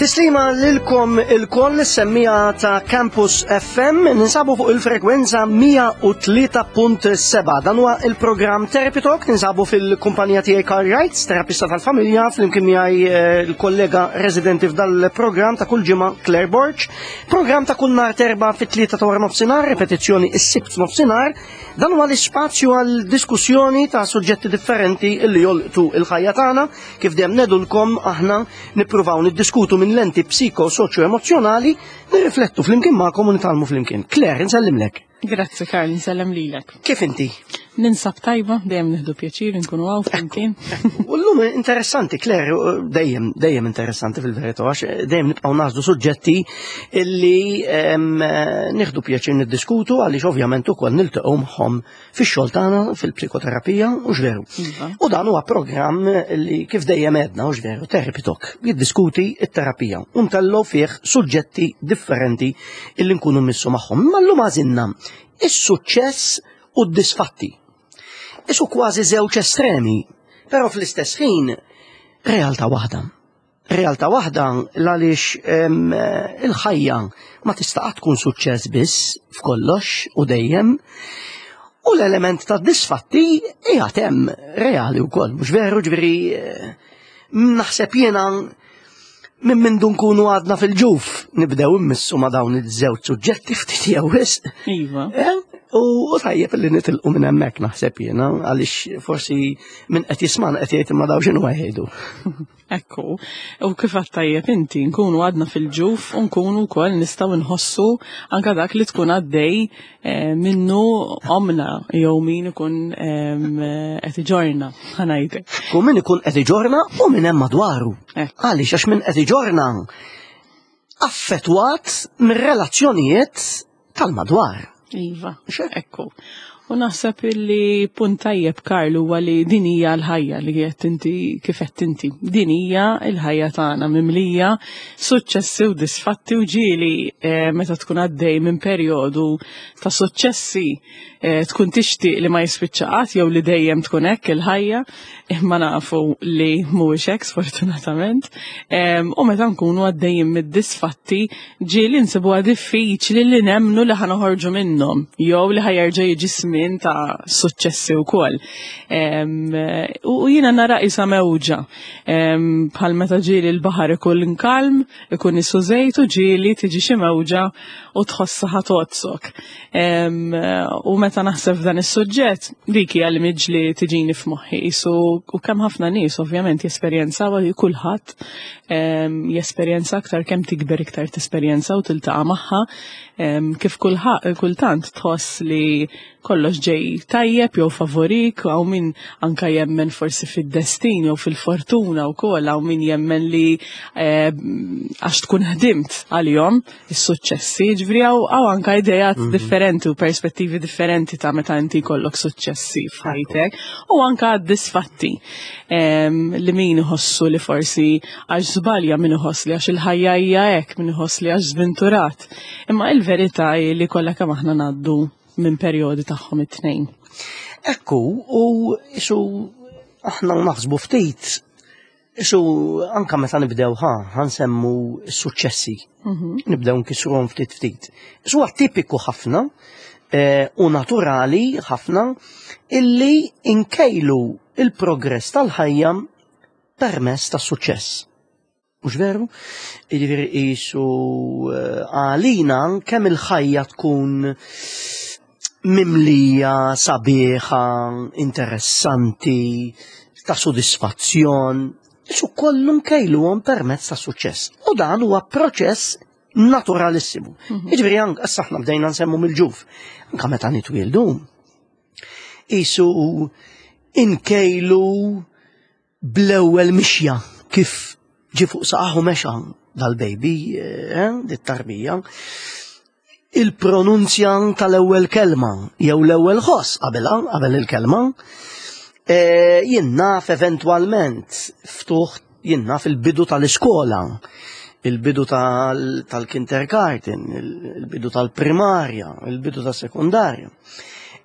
Tislima lilkom il-koll semmija ta' Campus FM ninsabu fuq il-frekwenza 103.7. Dan huwa il-programm Therapy Talk, ninsabu fil-kumpanija tiegħi Carl Wright, terapista tal-familja, flimkien miegħi eh, l-kollega residenti f'dal-programm ta' kull ġimgħa Claire Borg. Programm ta' kull nhar terba' fit-tlieta ta' wara nofsinhar, ripetizzjoni is-sibt nofsinhar. Dan huwa l-ispazju għal diskussjoni ta' suġġetti differenti li jolqtu il-ħajja tagħna, kif dejjem nedulkom aħna nippruvaw niddiskutu minn lenti psiko soċjo emozjonali, nirriflettu flimkien magħkom u nitgħallmu flimkien. Claire, insellimlek. Grazzi Karl, insellem lilek. Kif inti? Ninsab tajba, dejjem nieħdu pjaċir nkunu hawn flimkien. U llum interessanti, Claire, dejjem dejjem interessanti fil-verità, għax dejjem nibqgħu nażdu suġġetti illi nieħdu pjaċir niddiskutu għaliex ovvjament ukoll niltaqgħu magħhom fix-xogħol tagħna fil-psikoterapija u veru. Iva. U dan huwa programm li kif dejjem għedna u veru Therapy Talk jiddiskuti t-terapija u ntellgħu fih suġġetti differenti illi nkunu missu magħhom. Imma llum għażilna is-suċċess u d-disfatti. Isu kważi żewġ estremi, però fl-istess ħin realtà waħda. Realtà waħda l-għaliex il-ħajja ma tista' tkun suċċess biss f'kollox u dejjem. U l-element ta' disfatti qiegħed hemm reali wkoll, mhux veru ġifieri eh, naħseb jiena Minn mindu nkunu għadna fil-ġuf, nibdew immissu ma' dawn iż-żewġ suġġetti ftit jew wisq. Iva. Eh? U tajjeb li nitilqu minn hemmhekk naħseb jiena għaliex forsi minn qed jisman qed jgħid imma daw x'inhu jgħidu. Ekku, u kif għad tajjeb inti nkunu għadna fil-ġuf u nkunu wkoll nistgħu nħossu anke dak li tkun għaddej eh, minnu omna jew min ikun qed iġorna ħanajtek. U min ikun qed iġorna u min hemm madwaru. Eh. Għaliex għax min qed iġorna affettwat mir-relazzjonijiet tal-madwar. Iva, ekku. U naħseb illi punt tajjeb Karl huwa li din hija l-ħajja li qed inti kif qed inti. Din hija l-ħajja tagħna mimlija suċċessi u disfatti u ġieli eh, meta tkun għaddej minn perjodu ta' suċċessi eh, tkun tixtieq li ma jispiċċa qatt jew li dejjem tkun hekk il-ħajja, imma nafu li mhuwiex hekk sfortunatament. U meta nkunu għaddejjin mid-disfatti ġieli nsibuha diffiċli li nemmnu li ħa noħorġu minnhom jew li ħajerġa' jiġi żmien ta' suċċessi wkoll. U jiena nara qisha mewġa bħal meta ġieli l-baħar ikun kalm, ikun isu żejt u ġieli tiġi xi mewġa u tħossha ħa tgħodsok. U meta naħseb f'dan is-suġġett, dik hija l-image li tiġini f'moħħi. Isu u kemm ħafna nies ovvjament jesperjenzaw kulħadd jesperjenza aktar kemm tikber iktar tesperjenza u tiltaqa' magħha kif kultant tħoss li kollox ġej tajjeb jew favorik, hawn min anka jemmen forsi fid-destin jew fil-fortuna wkoll, hawn min jemmen li għax tkun ħdimt għalihom is-suċċessi, ġifieri hawn anka idejat mhm. differenti u perspettivi differenti ta' meta inti jkollok suċċessi f'ħajtek u anka disfatti li min iħossu li forsi għax żbalja min iħoss li għax il-ħajja hija hekk, min iħoss li għax żventurat. Imma il-verità hi li kollha kemm aħna ngħaddu minn perjodi tagħhom it-tnejn. Ekku, u isu aħna naħsbu ftit Isu anka meta nibdew ħa, ħansemmu s-suċċessi. Mhm. Nibdew nkisruhom ftit ftit. Isu tipiku ħafna eh, u naturali ħafna illi inkejlu il-progress tal-ħajja permess tas-suċċess. Mhux veru? Jiġifieri qisu eh, għalina kemm il-ħajja tkun mimlija, sabiħa, interessanti, ta' sodisfazzjon, isu kollu nkejluhom permezz ta' suċċess. U dan huwa proċess naturalissimu. Mhm. Jiġifieri anke issa aħna bdejna nsemmu mill-ġuf. Anke meta nitwieldu. Isu inkejlu bl-ewwel mixja kif ġie fuq saqaħu mexa dal-baby, eh, dit-tarbija, il-pronunzja tal-ewwel kelma jew l-ewwel ħoss qabelha qabel il-kelma, eh, jien naf eventwalment ftuħ jien naf il-bidu tal-iskola, il-bidu tal-kindergarten, il-bidu tal-primarja, il-bidu tas-sekundarja.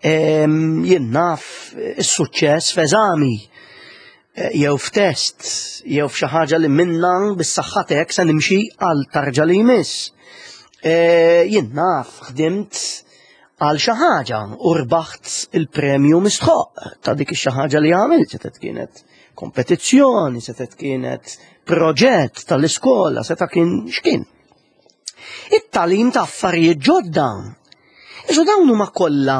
Jien naf is-suċċess f'eżami. eh, jew f'test, jew f'xi ħaġa li minna bis-saħħa tiegħek se nimxi għal tarġa li jmiss. Eh, jien naf ħdimt għal xi ħaġa u rbaħt il-premju mistħoq ta' dik ix-xi ħaġa li għamilt, setgħet kienet kompetizzjoni, setgħet kienet proġett tal-iskola, seta' kien x'kien. It-talim ta' affarijiet ġodda. Iżu dawn huma kollha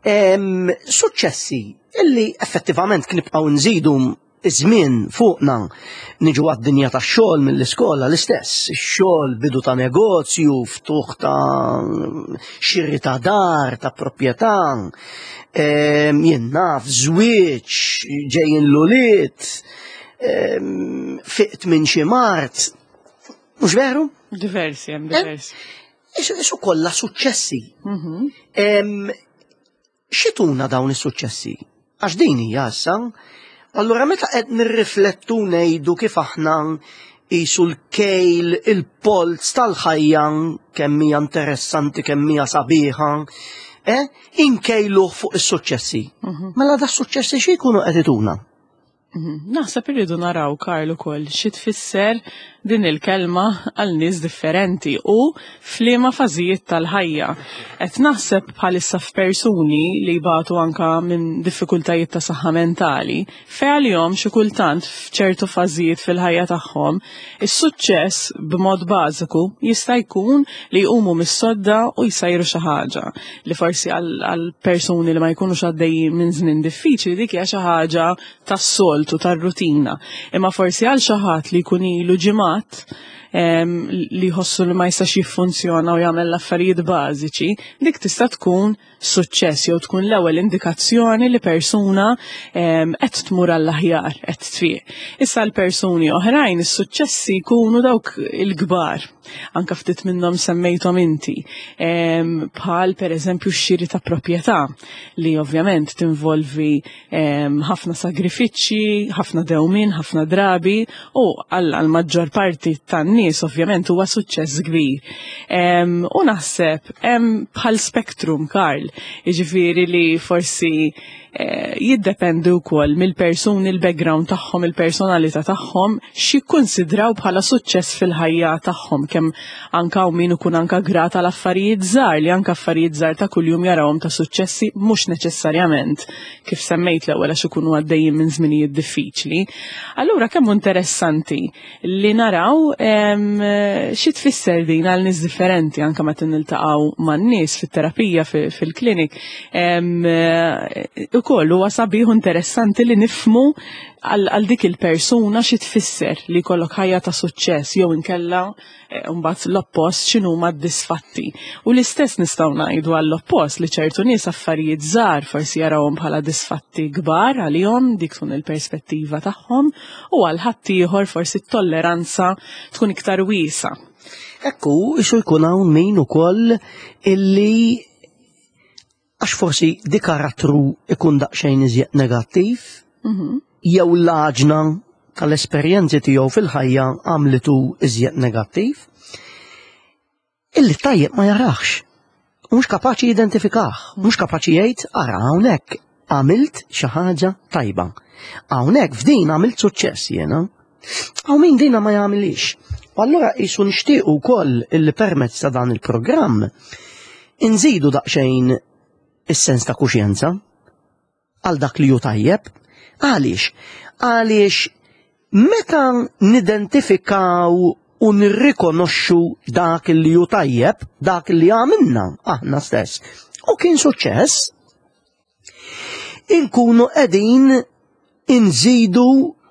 suċċessi illi effettivament knibqgħu nżidu iż-żmien fuqna niġu għad-dinja tax-xogħol mill-iskola l-istess, ix-xogħol bidu ta' negozju, ftuħ ta' xiri ta' dar, ta' proprjetà, ehm, jien naf, żwieġ, ġejjin l-ulied, ehm, fiqt minn xi mart. Mhux veru? Diversi, hemm eh? diversi. Isu kollha suċċessi. Mhm. Ehm, X'ituna dawn is-suċċessi? Għax din hija issa. Allura meta qed nirriflettu ngħidu kif aħna qisu l-kejl, il-polz tal-ħajja kemm hija interessanti, kemm hija sabiħa, eh, inkejluh fuq is-suċċessi. Mhm. Mela da suċċessi xi jkunu qed ituna? Mhm. Naħseb irridu naraw Karl ukoll xi tfisser din il-kelma għal nies differenti u f'liema fażijiet tal-ħajja. Qed naħseb bħalissa f'persuni li jbatu anka minn diffikultajiet ta' saħħa mentali, fejn għalihom xi kultant f'ċertu fażijiet fil-ħajja tagħhom, is-suċċess b'mod bażiku jista' jkun li jqumu mis-sodda u jsajru xi ħaġa li forsi għal persuni li ma jkunux għaddejjin minn żmien diffiċli dik hija xi ħaġa tas-soltu, tar-rutina. Imma forsi għal xi ħadd li jkun ilu ġimgħat li jħossu li ma jistax jiffunzjona u jagħmel l-affarijiet bażiċi, dik tista' tkun suċċess jew tkun l-ewwel indikazzjoni li persuna qed tmur għall-aħjar, qed tfiq. Issa l-persuni oħrajn is-suċċessi jkunu dawk il-kbar. Anka ftit minnhom semmejthom inti. Bħal pereżempju x-xiri ta' proprjetà li ovvjament tinvolvi ħafna sagrifiċċji, ħafna dewmien, ħafna drabi u għal maġġor parti tan-nies ovvjament huwa suċċess kbir. U naħseb hemm bħal spektrum Karl, jiġifieri li forsi eh, jiddependi wkoll mill-persuni, il-background tagħhom, il-personalità tagħhom, x'jikkunsidraw bħala suċċess fil-ħajja tagħhom, kemm anka u min ikun anka grat għal affarijiet żgħar li anka affarijiet żgħar ta' kuljum jarawhom ta' suċċessi mhux neċessarjament kif semmejt l-ewwel għax ikunu għaddejjin minn żminijiet diffiċli. Allura kemm interessanti li naraw xi tfisser din għal nies differenti anke meta niltaqgħu man-nies fit-terapija fil-klinik. Ukoll huwa sabiħ interessanti li nifmu għal dik il-persuna xi tfisser li jkollok ħajja ta' suċċess jew inkella eh, mbagħad l-oppost x'inhuma d-disfatti. U l-istess nistgħu ngħidu għall-oppost li ċertu nies affarijiet żgħar forsi jarawhom bħala disfatti kbar għalihom dik tkun il-perspettiva tagħhom u għal ħaddieħor forsi t-tolleranza tkun iktar wiesa. Ekku, isu jkun hawn min ukoll illi Għax forsi di karattru ikun daqsxejn iżjed negattiv, mhm. jew l-għaġna tal-esperjenzi tiegħu fil-ħajja għamlitu iżjed negattiv, illi tajjeb ma jarax. Mhux kapaċi jidentifikah, mhux kapaċi jgħid ara hawnhekk għamilt xi ħaġa tajba. Hawnhekk f'din għamilt suċċess jiena. Hawn min dina ma jagħmilix. U allura qisu nixtiequ wkoll illi permezz ta' dan il-programm inżidu daqsxejn is-sens ta' kuxjenza għal dak li hu tajjeb. Għaliex? Għaliex meta nidentifikaw u nirrikonoxxu dak li hu tajjeb, dak li għamilna aħna stess, u kien suċċess, inkunu qegħdin inżidu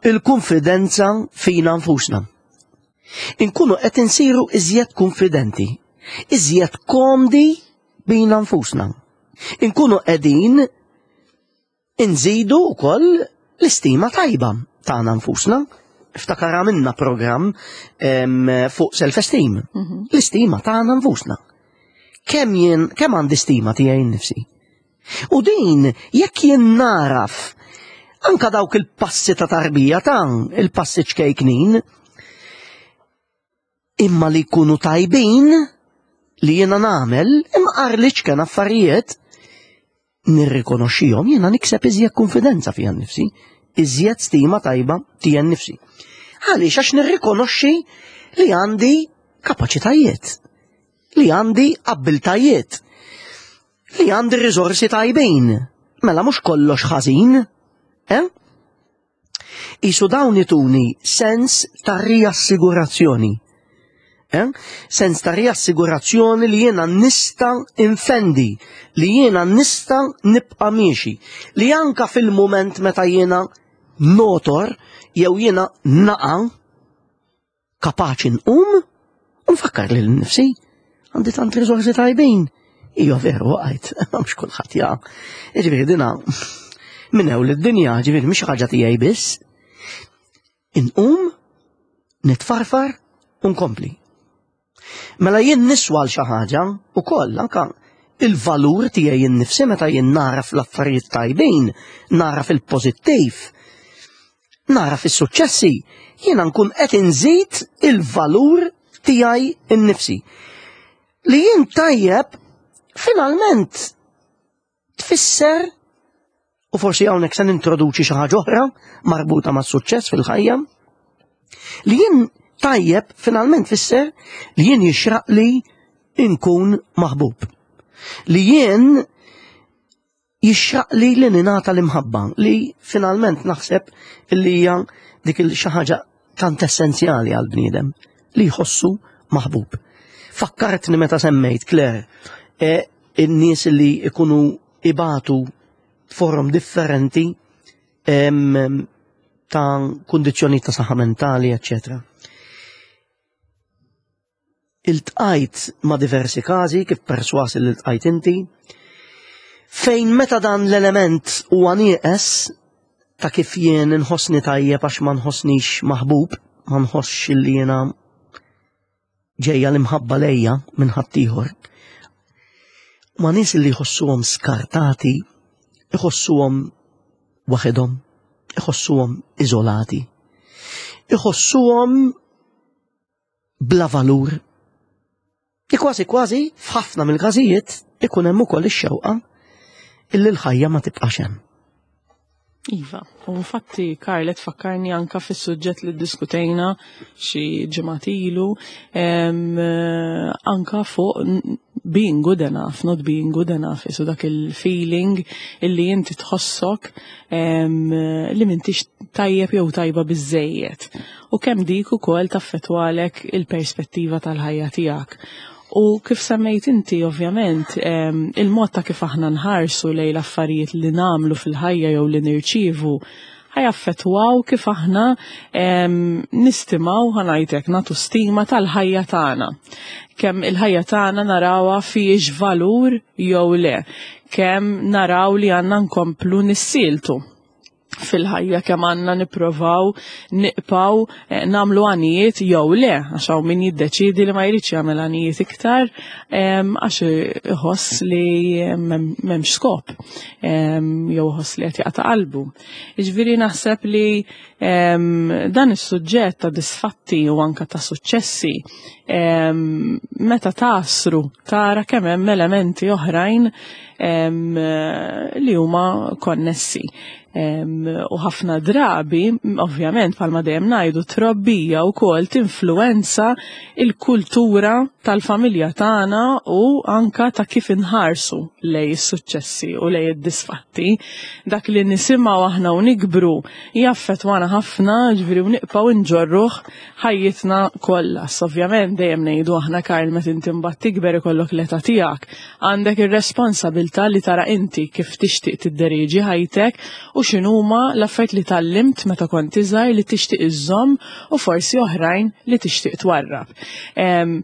il-konfidenza fina nfusna. Inkunu qed insiru iżjed konfidenti, iżjed komdi bina nfusna. Inkunu qegħdin inżidu wkoll l-istima tajba tagħna nfusna. Iftakar għamilna programm fuq self-esteem. Mhm. L-istima tagħna nfusna. Kemm jien kemm għandi stima tiegħi nnifsi? U din jekk jien naraf anka dawk il-passi ta' tarbija ta' il-passi ċkejknin, imma li jkunu tajbin li jiena nagħmel imqar li ċken affarijiet nirrikonoxxihom jiena nikseb iżjed konfidenza fija nnifsi. iżjed stima tajba tiegħi nnifsi. Għaliex għax nirrikonoxxi li għandi kapaċitajiet, li għandi abbiltajiet, li għandi riżorsi tajbin. Mela mhux kollox ħażin, eh? Isu dawn ituni sens ta' riassigurazzjoni. Eh? Sens ta' riassigurazzjoni li jiena nista' infendi, li jiena nista' nibqa' miexi, li anka fil-mument meta jiena notor jew jiena naqa' kapaċi nqum u nfakkar lil nifsi għandi tant riżorsi tajbin. Ija veru għajt, mhux kulħadd ja. Jiġifieri dina minn ewl id-dinja, ġifieri mhix ħaġa tiegħi biss. Inqum, nitfarfar u nkompli. Mela jien niswa għal xi ħaġa ukoll anka il-valur tiegħi innifsi meta jien naraf l-affarijiet tajbin, naraf il-pożittiv, naraf is-suċċessi, jiena nkun qed inżid il-valur tiegħi innifsi. Li jien tajjeb finalment tfisser u forsi hawnhekk se nintroduċi xi ħaġa oħra marbuta mas-suċċess fil-ħajja, li jien tajjeb finalment tfisser li jien jixraq li inkun maħbub. Li jien jixraq li li ninata l-imħabba li finalment naħseb li hija dik il xi ħaġa tant essenzjali għal bniedem li jħossu maħbub. Fakkartni meta semmejt Claire, e, in-nies li ikunu ibatu forum differenti ta' kundizzjoni ta' saħħa mentali, eccetera. Iltqajt ma' diversi każi kif perswas li ltqajt inti, fejn meta dan l-element huwa nieqes ta' kif jien inħossni tajjeb għax ma nħossnix maħbub, ma nħossx li jiena ġejja l-imħabba lejja minn ħaddieħor. Ma nies li jħossuhom skartati, iħossuhom waħedhom, iħossuhom iżolati, iħossuhom bla valur. Li kważi kważi f'ħafna mill-każijiet ikun hemm ukoll ix-xewqa illi l-ħajja ma tibqax hemm. Iva, u infatti Karl tfakkarni anka fis-suġġett li ddiskutejna xi ġimgħat ilu anka fuq being good enough, not being good enough, isu dak il-feeling illi inti tħossok li m'intix tajjeb jew tajba biżejjed. U kemm dik ukoll taffettwalek il-perspettiva tal-ħajja tiegħek. U kif semmejt inti, ovvjament, il-mod ta' kif aħna nħarsu lejn l-affarijiet li nagħmlu fil-ħajja jew li nirċievu ħajaffettwaw kif aħna nistimaw ħa ngħidlek nagħtu stima tal-ħajja tagħna. Kemm il-ħajja tagħna narawha fiex valur jew le, kemm naraw li għandna nkomplu nissieltu fil-ħajja kemm għandna nipprovaw niqpaw eh, nagħmlu għanijiet jew le, għax hawn min jiddeċiedi li ma jridx jagħmel għanijiet iktar għax iħoss li m'hemmx skop jew iħoss li qed jaqta' qalbu. Jiġifieri naħseb li dan is-suġġett ta' disfatti u anka ta' suċċessi meta tasru tara kemm hemm elementi oħrajn li huma konnessi. U ħafna drabi, ovvjament, palma dejjem ngħidu, trobbija wkoll tinfluwenza il-kultura tal-familja tagħna u anka ta' kif inħarsu lej is-suċċessi u lej id-disfatti. Dak li nisimgħu aħna u nikbru jaffettwana ħafna, ġifieri u nibqgħu nġorruh ħajjitna kollha. Ovvjament dejjem ngħidu aħna Karl meta inti mbagħad tikber ikollok l-età tiegħek, għandek ir-responsabilità li tara inti kif tixtieq tidderieġi ħajtek u x'inhuma l-affarijiet li tgħallimt meta kont iżgħar li tixtieq iżżomm u forsi oħrajn li tixtieq twarrab.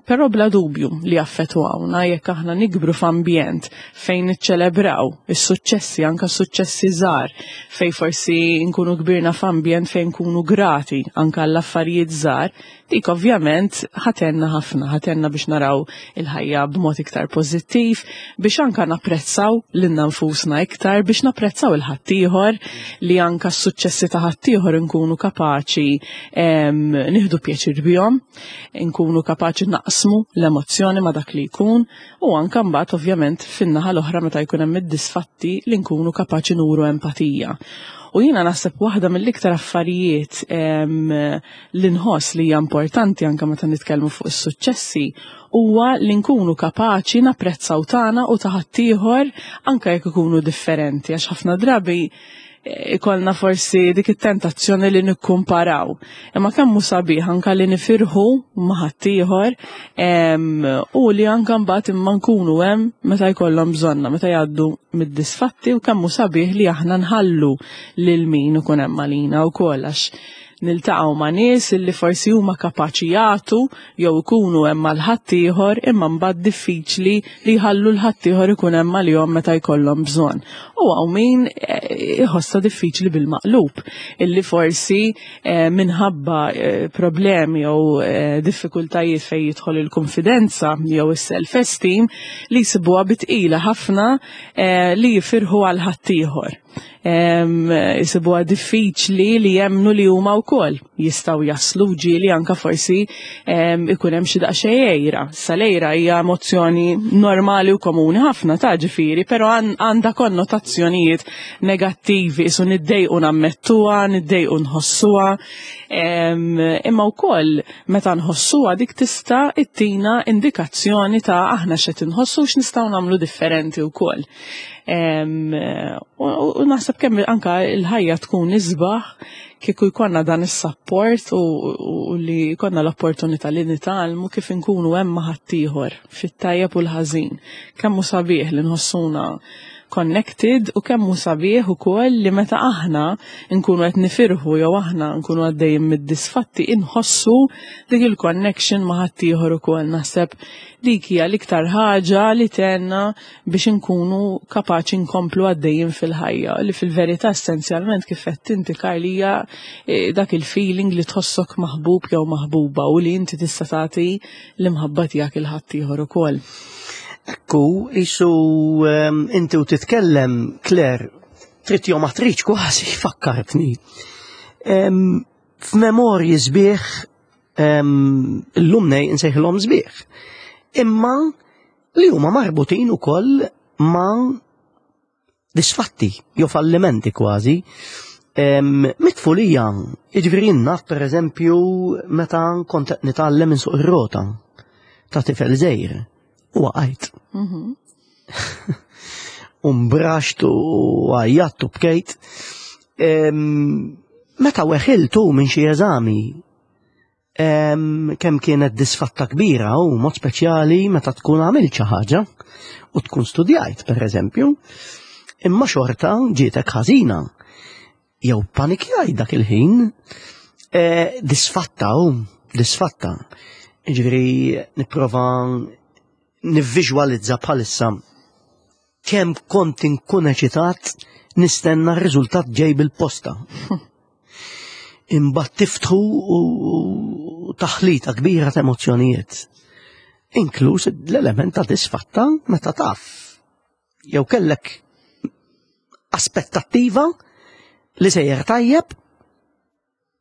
Però bla dubju li jaffettwawna jekk aħna nikbru f'ambjent fejn niċċelebraw is-suċċessi, anka suċċessi żgħar, fejn forsi nkunu kbirna f'ambjent fejn nkunu grati anka l-affarijiet żgħar, dik ovvjament ħatenna ħafna, ħatenna biex naraw il-ħajja b'mod iktar pożittiv, biex anka napprezzaw lilna nfusna iktar, biex napprezzaw il-ħaddieħor li anka s-suċċessi ta' ħaddieħor nkunu kapaċi nieħdu pjaċir bihom, nkunu kapaċi naqsmu l-emozzjoni ma' dak li jkun, U anka mbagħad ovvjament fin-naħa l-oħra meta jkun hemm id-disfatti li nkunu kapaċi nuru empatija. U jiena naħseb waħda mill-iktar affarijiet li nħoss li hija importanti anke meta nitkellmu fuq is-suċċessi huwa li nkunu kapaċi napprezzaw tagħna u ta' ħaddieħor anke jekk ikunu differenti għax ħafna drabi ikollna forsi dik it-tentazzjoni li nikkumparaw. Imma kemm hu sabiħ anka li nifirħu ma' ħaddieħor u li anka mbagħad imma nkunu hemm meta jkollhom bżonna, meta jgħaddu mid-disfatti u kemm hu sabiħ li aħna nħallu lil min ikun hemm għalina wkoll għax niltaqgħu ma' nies illi forsi huma kapaċi jagħtu jew ikunu hemm għal ħaddieħor imma mbagħad diffiċli li jħallu l ħaddieħor ikun hemm għalihom meta jkollhom bżonn. U hawn min eh, iħossha diffiċli bil-maqlub illi forsi eh, minħabba eh, problemi jew diffikultajiet fejn jidħol il-konfidenza jew is-self-esteem li jsibuha bitqila ħafna li jifirħu għal ħaddieħor. Jisibuha diffiċli li jemnu li huma wkoll jistgħu jaslu ġieli anka forsi ikun hemm xi daqsxejn għejra. Sa l-għejra hija emozzjoni normali u komuni ħafna ta' ġifieri, però għandha konnotazzjonijiet negattivi, isu niddejqu nammettuha, niddejqu nħossuha. Imma wkoll meta nħossuha dik tista' ittina indikazzjoni ta' aħna x'qed inħossu x'nistgħu nagħmlu differenti wkoll. U naħseb kemm anka l-ħajja tkun isbaħ kieku jkollna dan is-sapport u li jkollna l-opportunità li nitgħallmu kif inkunu hemm ma' ħaddieħor fit-tajjeb u l-ħażin. Kemm hu sabiħ li nħossuna connected u kemm hu sabiħ ukoll li meta aħna nkunu qed nifirħu jew aħna nkunu għaddejjin mid-disfatti inħossu dik il-connection ma' ħaddieħor ukoll. Naħseb dik hija l-iktar ħaġa li tgħinna biex inkunu kapaċi nkomplu għaddejjin fil-ħajja, li fil-verità essenzjalment kif qed inti Karl hija eh, dak il-feeling li tħossok maħbub jew maħbuba u li inti tista' tagħti l-imħabba tiegħek il ħaddieħor ukoll. Ekku, isu ehm, inti u titkellem, Claire, trid jew ma tridx kważi fakkartni. Ehm, f'memorji sbieħ ehm, illum nej nsejħilhom sbieħ. Imma li huma marbutin ukoll ma' disfatti jew fallimenti kważi. Mitfulija, jiġifieri naf pereżempju meta kont qed nitgħallem insuq ir-rota ta' tifel żgħir u waqajt. Mhm. U mbraxt u għajjatt u bkejt. Meta weħiltu minn xi eżami Kemm kienet disfatta kbira u mod speċjali meta tkun għamilt xi ħaġa u tkun studjajt, per eżempju, imma xorta ġietek ħażina. Jew panikjajt dak il-ħin, e, disfatta u disfatta. Ġifieri nipprova nivviżwalizza bħalissa kemm kont inkun eċitat nistenna r-riżultat ġej bil-posta. Imbagħad tiftħu u taħlita kbira ta' emozzjonijiet. Inkluż l-element ta' disfatta meta taf. Jew kellek aspettattiva li sejjer tajjeb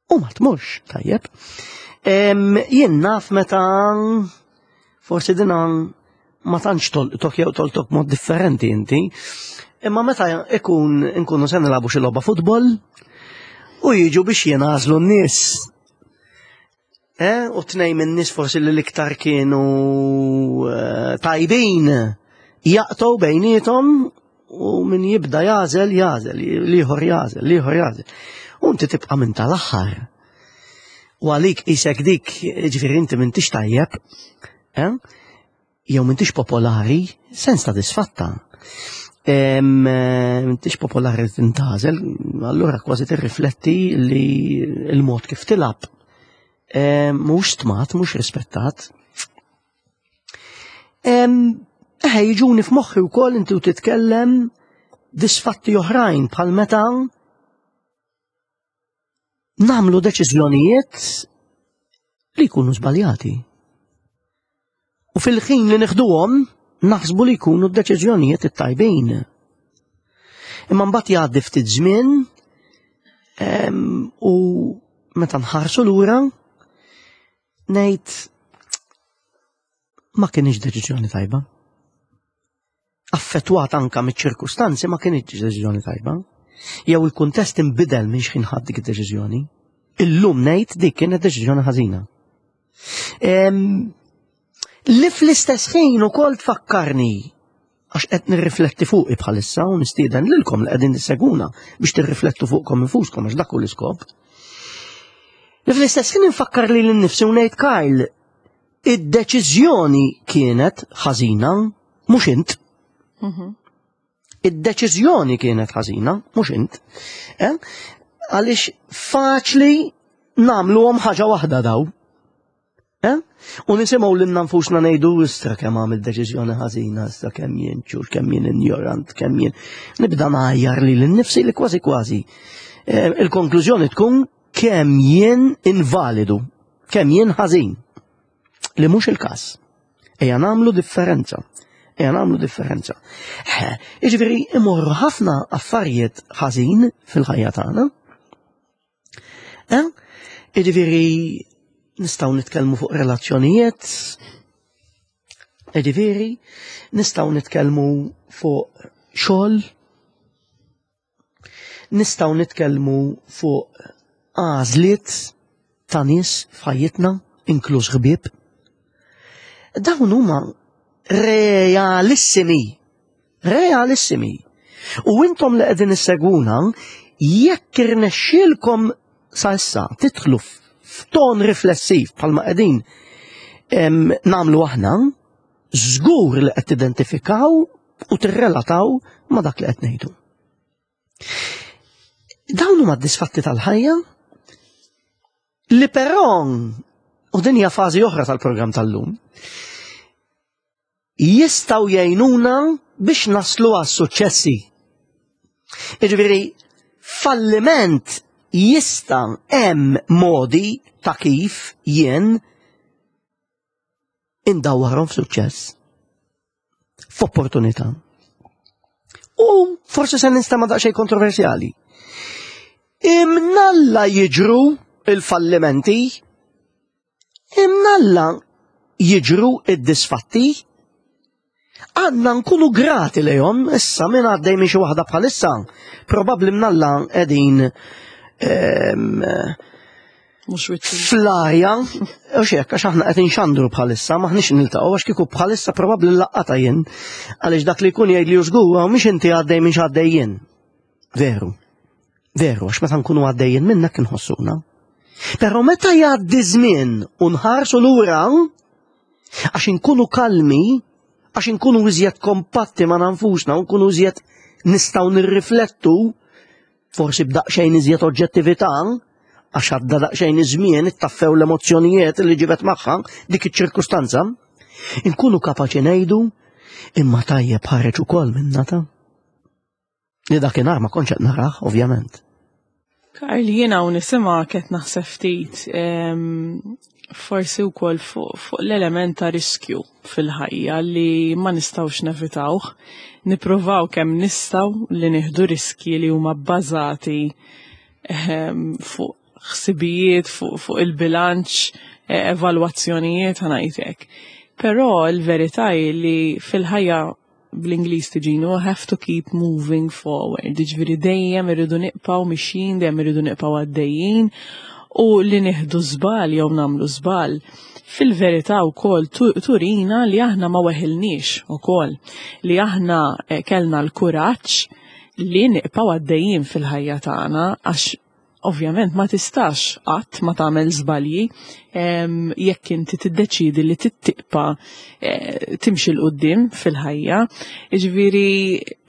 U ma tmurx tajjeb. Jien naf meta forsi dina ma tantx tolqtok jew tolqtok mod differenti inti. Imma meta ikun inkunu se nilagħbu xi logħba futbol u jiġu biex jingħażlu n-nies. Eh, u tnej minn nies forsi li l-iktar kienu eh, tajbin jaqtgħu bejniethom u min jibda jażel jażel, liħor jażel, liħor jażel. U inti tibqa' minn tal-aħħar. U għalik isek dik, ġifieri inti m'intix tajjeb, eh? jew m'intix popolari, sens ta' disfatta. Eh, m'intix popolari tintażel, allura kważi tirrifletti li l-mod kif tilab mhux stmat, mhux rispettat. Eħe, jiġuni f'moħħi wkoll inti u titkellem disfatti oħrajn bħal meta namlu deċiżjonijiet li jkunu żbaljati. U fil-ħin li neħduhom naħsbu li jkunu d-deċiżjonijiet it-tajbin. Imma mbagħad jgħaddi ftit żmien u meta nħarsu lura ngħid ma kienx deċiżjoni tajba. Affettwat anka miċ-ċirkustanzi ma kienx deċiżjoni tajba. Jew il-kuntest inbidel minn xħin ħadd dik id-deċiżjoni. Illum ngħid dik kienet deċiżjoni ħażina. Li fl-istess ħin ukoll tfakkarni għax qed nirrifletti fuqi bħalissa u nistieden lilkom li qegħdin tisseguna biex tirriflettu fuqkom infuskom għax dak hu l-iskop. Li fl-istess ħin infakkar li l-nifsi u ngħid Karl, id-deċiżjoni kienet ħażina mhux int. Id-deċiżjoni kienet ħażina, mhux int. Eh? Għaliex faċli nagħmluhom ħaġa waħda daw. Eh? U nisimgħu lilna nfusna ngħidu istra kemm għamil deċiżjoni ħażina, istra kemm jien ċur, kemm jien injorant, kemm jien. Nibda ngħajjar li l-nifsi li kważi kważi. Eh, il-konklużjoni tkun kemm jien invalidu, kemm jien ħażin. Li mhux il-każ. Ejja nagħmlu differenza. Ejja nagħmlu differenza. Jiġifieri imorru ħafna affarijiet ħażin fil-ħajja tagħna. Eh? Jiġifieri nistgħu nitkellmu fuq relazzjonijiet, jiġifieri nistgħu nitkellmu fuq xogħol, Nistgħu nitkellmu fuq għażliet ta' nies f'ħajjitna, inkluż ħbieb. Dawn huma realissimi. Realissimi. U intom li qegħdin issegwuna, jekk irnexxielkom sa issa tidħlu f'ton riflessiv bħalma qegħdin nagħmlu aħna, żgur li qed tidentifikaw u tirrelataw ma' dak li qed ngħidu. Dawn huma d-disfatti tal-ħajja li però u din hija fażi oħra tal-programm tal-lum jistgħu jgħinuna biex naslu għas suċċessi. Jiġifieri falliment jista' hemm modi ta' kif jien indawwarhom f'suċċess. F'opportunità. U forsi se nistama daqsxejn kontroversjali. Imnalla jiġru il-fallimenti, imnalla jiġru id-disfatti, għandna nkunu grati lejhom issa minn għaddej minn xi waħda bħalissa, probabbli mnalla qegħdin ehm, Fl-arja, u xek, għax aħna qed inxandru bħalissa, maħniex niltaqgħu għax kieku bħalissa probabbli laqgħata jien, għaliex dak li jkun jgħid li żgur u mhix inti għaddej minn x'għaddej jien. Veru. Veru, għax meta nkunu għaddejjin minnek inħossuna. Però meta jgħaddi żmien u nħarsu lura, għax inkunu kalmi, għax inkunu iżjed kompatti ma' nfusna u nkunu iżjed nistgħu nirriflettu forsi b'daqsxejn iżjed oġġettività, għax għadda daqsxejn iż-żmien ittaffew l-emozzjonijiet li ġibet magħha dik iċ-ċirkustanza, inkunu kapaċi ngħidu imma tajjeb ħareġ ukoll minna ta' li dakinhar ma kontx qed narah, ovvjament. Karl, jiena u nisimgħek qed naħseb ftit forsi wkoll fuq fu l-element ta' riskju fil-ħajja li ma nistgħux nevitawh. Nippruvaw kemm nistgħu li nieħdu riskji li huma bbażati ehm, fuq ħsibijiet, fuq fu il-bilanċ, e, evalwazzjonijiet ħanajtek. Però l-verità hi li fil-ħajja bl-Ingliż tiġini we have to keep moving forward. Jiġifieri dejjem irridu nibqgħu mixjin, dejjem irridu nibqgħu għaddejjin u li nieħdu żball jew nagħmlu żball fil-verità wkoll turina li aħna ma weħilniex ukoll li aħna eh, kellna l-kuraġġ li nibqgħu għaddejjin fil-ħajja tagħna għax Ovvjament ma tistax qatt ma tagħmel żbalji jekk inti tiddeċiedi li tittiqpa eh, timxi l qudiem fil-ħajja. Jiġifieri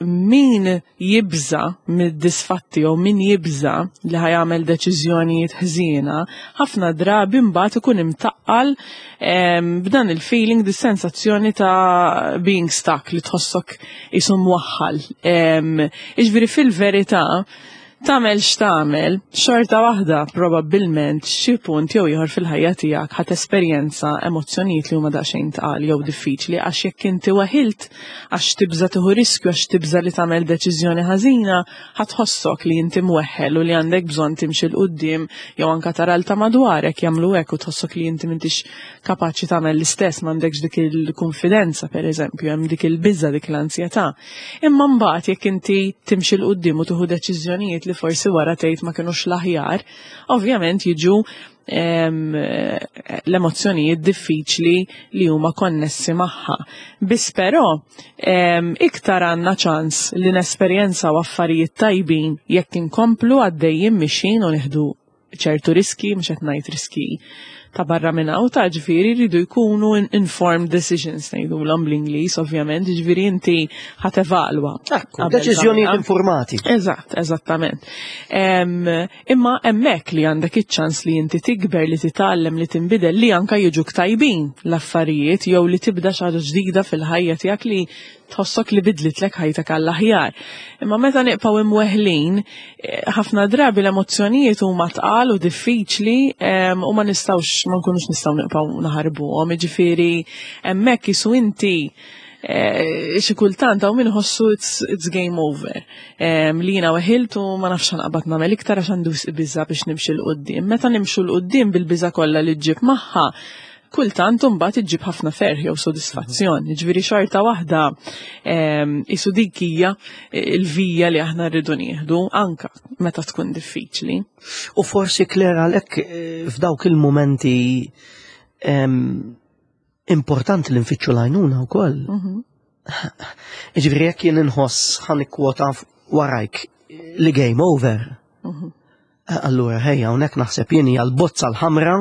min jibża mid-disfatti jew min jibża li ħajamel deċiżjonijiet ħżiena, ħafna drabi mbagħad ikun imtaqqal b'dan il-feeling, dis-sensazzjoni ta' being stuck li tħossok isu mwaħħal. Jiġifieri fil-verità. Tagħmel x'tagħmel, xorta waħda probabbilment xi punt jew ieħor fil-ħajja tiegħek ħa tesperjenza emozzjonijiet li huma daqsxejn tqal jew diffiċli għax jekk inti weħilt għax tibża' tieħu riskju għax tibża' li tagħmel deċiżjoni ħażina, ħa tħossok li inti mweħħel u li għandek bżonn timxi 'l quddiem jew anke tara l ta' madwarek jagħmlu hekk u tħossok li inti m'intix kapaċi tagħmel l-istess, m'għandekx dik il-kunfidenza pereżempju, hemm dik il-biża' dik l-ansjetà. Imma mbagħad jekk inti timxi 'l quddiem u tieħu deċiżjonijiet li forsi wara tgħid ma kinux l-aħjar, ovvjament jiġu l-emozzjonijiet diffiċli li huma konnessi magħha. Biss però iktar għandna ċans li nesperjenzaw affarijiet tajbin jekk inkomplu għaddejjin mixin u nieħdu ċertu riski, mhux qed ngħid riski ta' barra minn hawn ta' ġifieri jridu jkunu informed decisions ngħidulhom bl-Ingliż ovvjament, ġifieri inti ħa tevalwa. Ekku, deċiżjonijiet informati. Eżatt, eżattament. Imma hemmhekk li għandek iċ-ċans li inti tikber, li titgħallem, li tinbidel, li anka jiġuk tajbin l-affarijiet jew li tibda xi ħaġa ġdida fil-ħajja tiegħek li tħossok li bidlitlek ħajtek għall-aħjar. Imma meta nibqgħu imweħlin, eh, ħafna drabi l-emozzjonijiet huma tqal u diffiċli u ma nistgħux ma nkunux nistgħu nibqgħu naħarbuhom. Jiġifieri hemmhekk isu inti eh, xi kultant hawn min iħossu it's, it's game over. Li jiena weħilt u ma nafx naqbad nagħmel iktar għax għandu biża biex nimxi 'l quddiem. Meta nimxu 'l quddiem bil-biża kollha li ġġib magħha, kultant imbagħad iġġib ħafna ferħ jew sodisfazzjon. Ġifieri xorta waħda isu dik hija l-vija li aħna rridu nieħdu anka meta tkun diffiċli. U forsi Claire għalhekk eh, f'dawk il-mumenti importanti li nfittxu l-għajnuna wkoll. Mhm. Ġifieri jekk jien inħoss ħa nikkwota warajk li game over. Mhm. Eh, allura ħejja hawnhekk naħseb jien hija l-bozza l-ħamra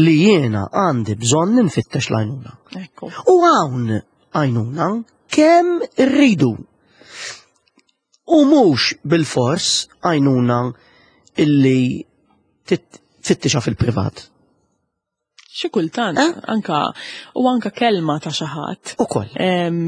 li jiena għandi bżonn nfittex l-għajnuna. U hawn għajnuna kemm irridu. U mhux bil-fors għajnuna illi tfittixa fil-privat. Xi kultant, eh? anka u anka kelma ta' xi ħadd. Ukoll.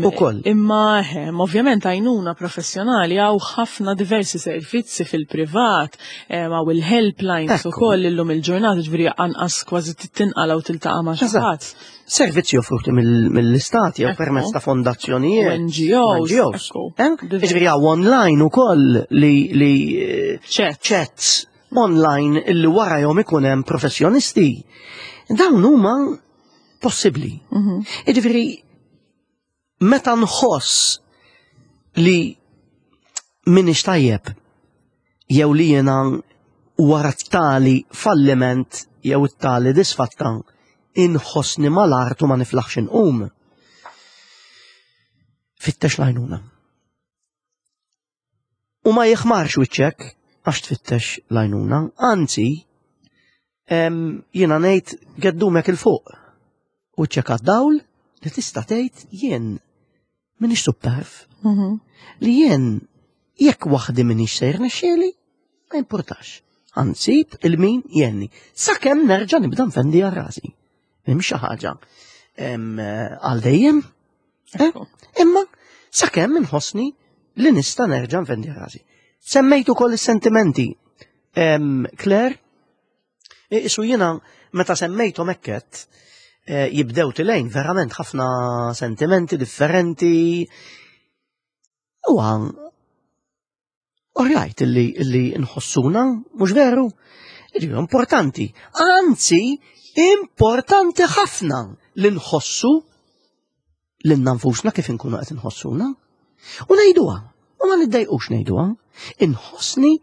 Ukoll. Imma ehm, ovvjament għajnuna professjonali hawn ħafna diversi servizzi fil-privat, hawn il-helplines ukoll illum il-ġurnata ġifieri anqas kważi tinqala u tiltaqa' ma' xi ħadd. Servizzi offruti mill-istati jew permezz ta' fondazzjonijiet. NGOs. NGOs. Eh? Ġifieri hawn online ukoll li eh, chats online illi warajhom ikun hemm professjonisti. Dawn huma possibbli. Mhm. Jiġifieri meta nħoss li minix tajjeb jew li jiena wara tali falliment jew tali disfatta inħossni mal-art u ma niflaħx inqum. Fittex l-għajnuna. U ma jiħmarx wiċċek għax tfittex l-għajnuna, anzi, jiena ngħid geddumek il-fuq. Wiċċek għad-dawl li tista' tgħid jien minix supperv. Mhm. Li jien jekk waħdi minix sejr nexxieli, ma importax. Ansib il-min jenni. Sakemm nerġa' nibda nfendi għal rasi. Hemm xi ħaġa għal dejjem Eh? Imma sakemm inħossni li nista' nerġa' nfendi rasi. Semmejt ukoll is-sentimenti. Claire, isu jiena meta semmejthom hekket eh, jibdew tilejn verament ħafna sentimenti differenti. U Orajt illi, illi nħossuna, mhux veru? Ġifieri importanti. Anzi, importanti ħafna li nħossu lilna nfusna kif inkunu qed inħossuna. U ngħiduha, u ma niddejqux ngħiduha, inħossni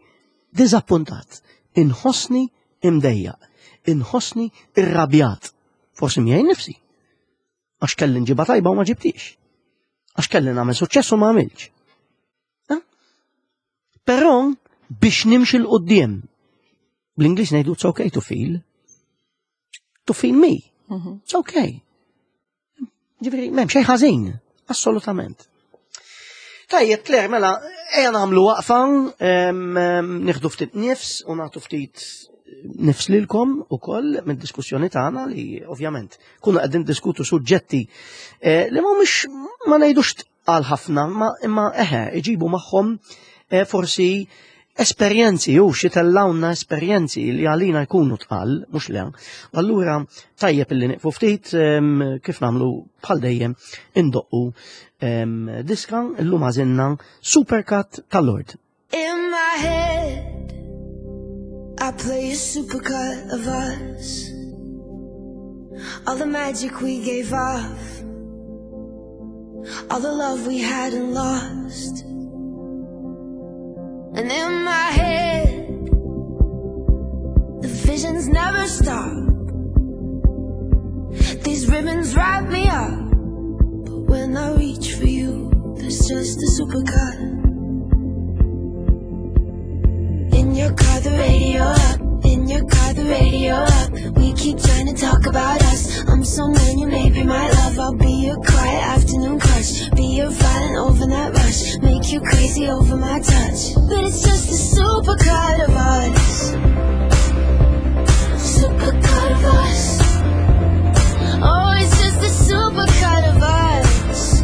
diżappuntat, inħossni imdejjaq, inħossni irrabjat. Forsi miegħi nifsi. Għax kelli nġiba tajba u ma ġibtix. Għax kelli nagħmel suċċess u ma għamilx. Eh? Però biex nimxi l-qoddim, bl-Ingliż ngħidu it's okay to feel. To feel me. Mhm. It's okay. Ġifieri, m'hemm xejn ħażin, assolutament. Tajjeb, Claire, mela, ejja nagħmlu waqfa, nieħdu ftit nifs u nagħtu ftit nifs lilkom ukoll mid-diskussjoni tagħna li ovvjament kuna qegħdin diskutu suġġetti eh, li mhumiex ma ngħidux għal ħafna, ma imma eħe, iġibu magħhom eh, forsi esperjenzi u xi tellawna esperjenzi li għalina jkunu tqal, mhux le. Allura tajjeb illi nieqfu ftit kif nagħmlu bħal dejjem indoqqu diska illum għażilna Supercut tal-Lord. In my head I play a supercut of us All the magic we gave off All the love we had and lost And in my head The visions never stop These ribbons wrap me up But when I reach for you There's just a supercut In your car, the radio up. In your car, the radio up. We keep trying to talk about us. I'm someone you may be my love. I'll be your quiet afternoon crush. Be your violent overnight rush. Make you crazy over my touch. But it's just a supercut of us. Supercut of us. Oh, it's just a supercut of us.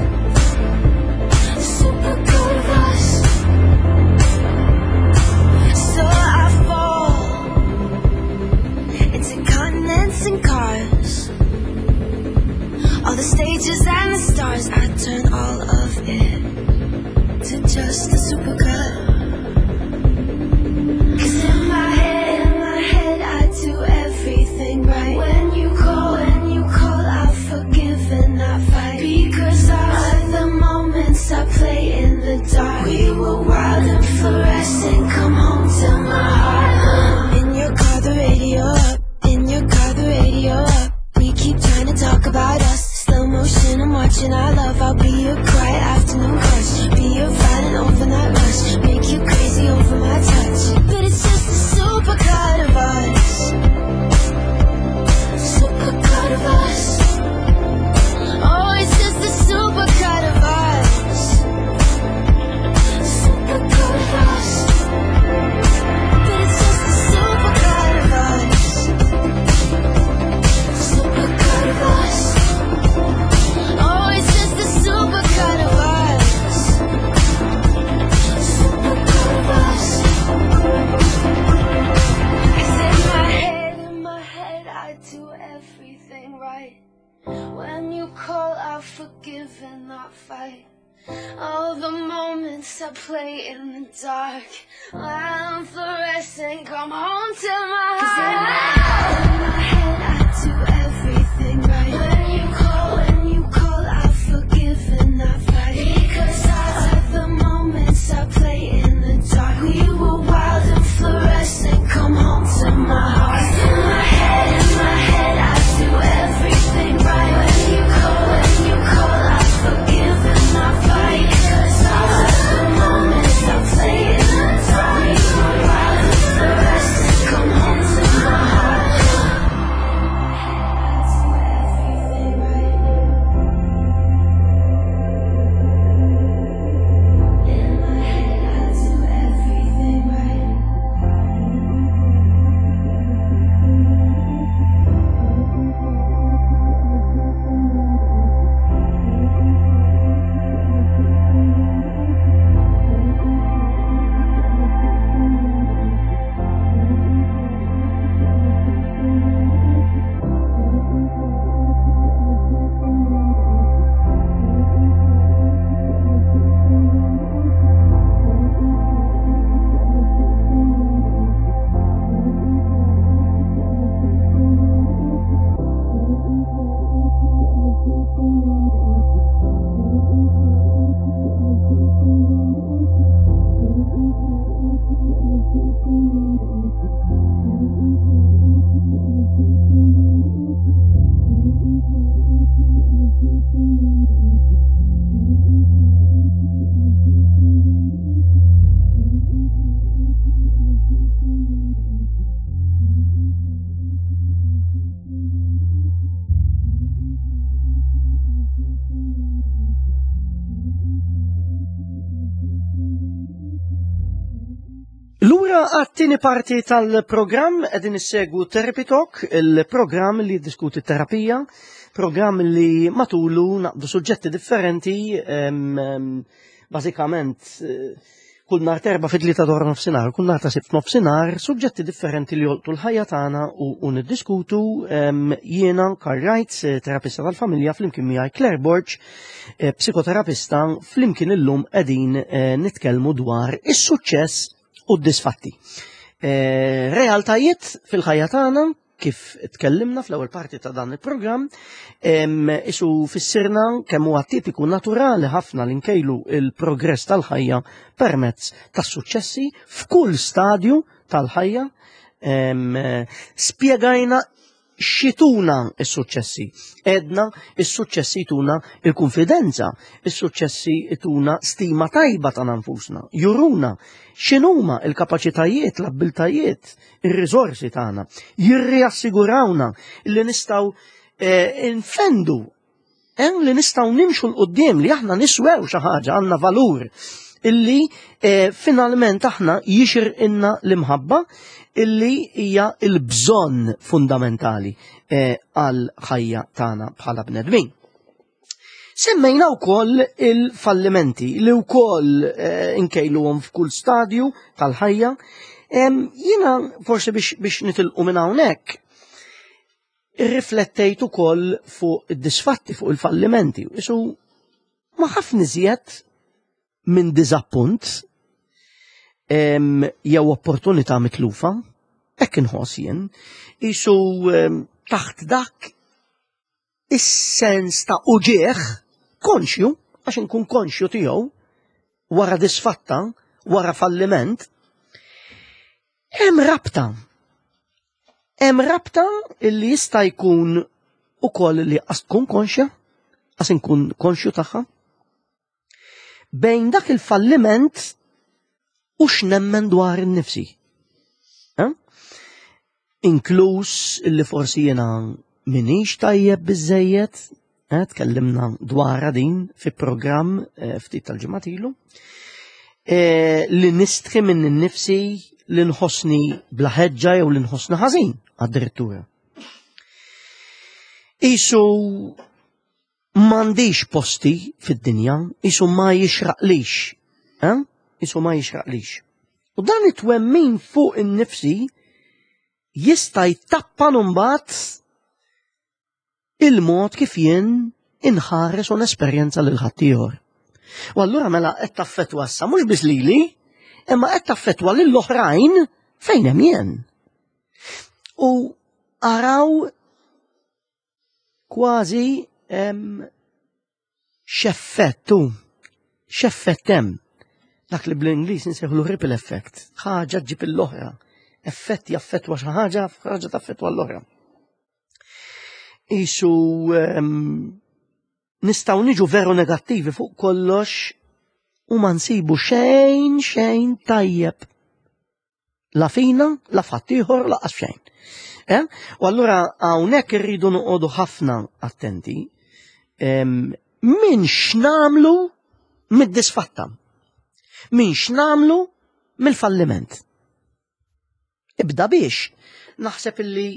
Supercut of us. So I fall into continents and cars. All the stages and the stars, I turn all of it to just a supercut. 'Cause in my head, I do everything right. When you call, I forgive and I fight. Because all the moments I play in the dark, we were wild and fluorescent. Come home to my heart. In your car, the radio up. In your car, the radio up. We keep trying to talk about us. Slow motion, I'm watching our love. I'll be your quiet afternoon crush. Be your violent overnight rush. Make you crazy over my touch. But it's just a supercut of us. Supercut of us. Oh, it's just a supercut of us. Supercut of us. But it's just a supercut of us. Supercut of us. Oh, it's just a supercut of us. Supercut of us. 'Cause in my head, I do everything right. When you call, I forgive and not fight. All the moments I play in the dark, I'm fluorescent. Come home to my heart. In my head, I do everything right. When you call, I forgive and not fight. Because I like the moments I play in the dark. We were wild and fluorescent. Come home to my heart. 'Cause in my head, I do everything right. When you call, I forgive and not fight. 'Cause I like the moments I play in the dark. We were wild and fluorescent. Come home to my heart. I do everything right. In my head, I do everything right. Lura għat-tieni parti tal-programm qegħdin issegwu Therapy Talk, il-programm li jiddiskuti terapija, programm li matulu naqdu suġġetti differenti, bażikament Kull nhar t'Erbgħa fit-tlieta ta' wara nofsinhar, kull nhar ta' Sibt nofsinhar, suġġetti differenti li jolqtu l-ħajja tagħna u, u niddiskutu jiena Karl Reitz, eh, terapista tal-familja, flimkien miegħi Claire Borg, eh, psikoterapista, flimkien illum qegħdin eh, nitkellmu dwar is-suċċess u d-disfatti. Realtajiet fil-ħajja tagħna kif tkellimna fl-ewwel parti ta' dan il-programm, isu fissirna kemm huwa tipiku naturali ħafna li nkejlu il-progress tal-ħajja permezz tas-suċċessi f'kull stadju tal-ħajja. Spjegajna xituna is-suċċessi. Edna is-suċċessi jtuna il-konfidenza, is-suċċessi jtuna stima tajba ta' nfusna, juruna x'inhuma il-kapaċitajiet, l-abbiltajiet, ir-riżorsi tagħna, jirriassigurawna li nistgħu eh, nfendu hemm li nistgħu nimxu l qudiem li aħna niswew xi ħaġa għandna valur illi eh, finalment aħna jixir inna l-imħabba illi hija l-bżonn fundamentali eh, għal ħajja tagħna bħala bnedmin. Semmejna wkoll il-fallimenti li wkoll eh, inkejluhom f'kull stadju tal-ħajja. Jiena forsi biex, biex nitilqu minn hawnhekk, irriflettejt ukoll fuq id-disfatti, fuq il-fallimenti. Isu ma ħafna iżjed minn diżappunt jew opportunità mitlufa, hekk inħoss jien, isu taħt dak is-sens ta' uġieħ konxju, għax inkun konxju tiegħu wara disfatta, wara falliment, hemm rabta. Hemm rabta li jista' jkun ukoll li qas tkun konxja, qas inkun konxju tagħha, bejn dak il-falliment u x'nemmen dwar innifsi. Eh? Inkluż illi forsi jiena minix tajjeb biżejjed, eh, tkellimna dwarha din fi programm eh, ftit tal-ġimgħat ilu, eh, li nistħi minn innifsi li nħossni bla ħeġġa jew li nħossni ħażin għad-direttura. Isu m'għandix posti fid-dinja, isu ma jixraqlix. Eh? Isu ma jixraqlix. U dan it-twemmin fuq in-nifsi jista' jtappan mbagħad il-mod kif jien inħares u nesperjenza lil ħaddieħor. U allura mela qed taffettwa issa mhux biss lili, imma qed taffettwa lill oħrajn fejn hemm jien. U araw kważi x'effett hu, x'effett hemm. Dak li bl-Ingliż nsejħlu ripple effect, ħaġa ġib l-oħra. Effett jaffettwa xi ħaġa, ħaġa taffettwa l-oħra. Isu nistgħu niġu veru negattivi fuq kollox u ma nsibu xejn xejn tajjeb La fina, la f'ħaddieħor, laqas f'xejn. Eh? U allura hawnhekk irridu noqogħdu ħafna attenti min x'namlu mid-disfatta. Min x'namlu mill-falliment. Ibda biex naħseb illi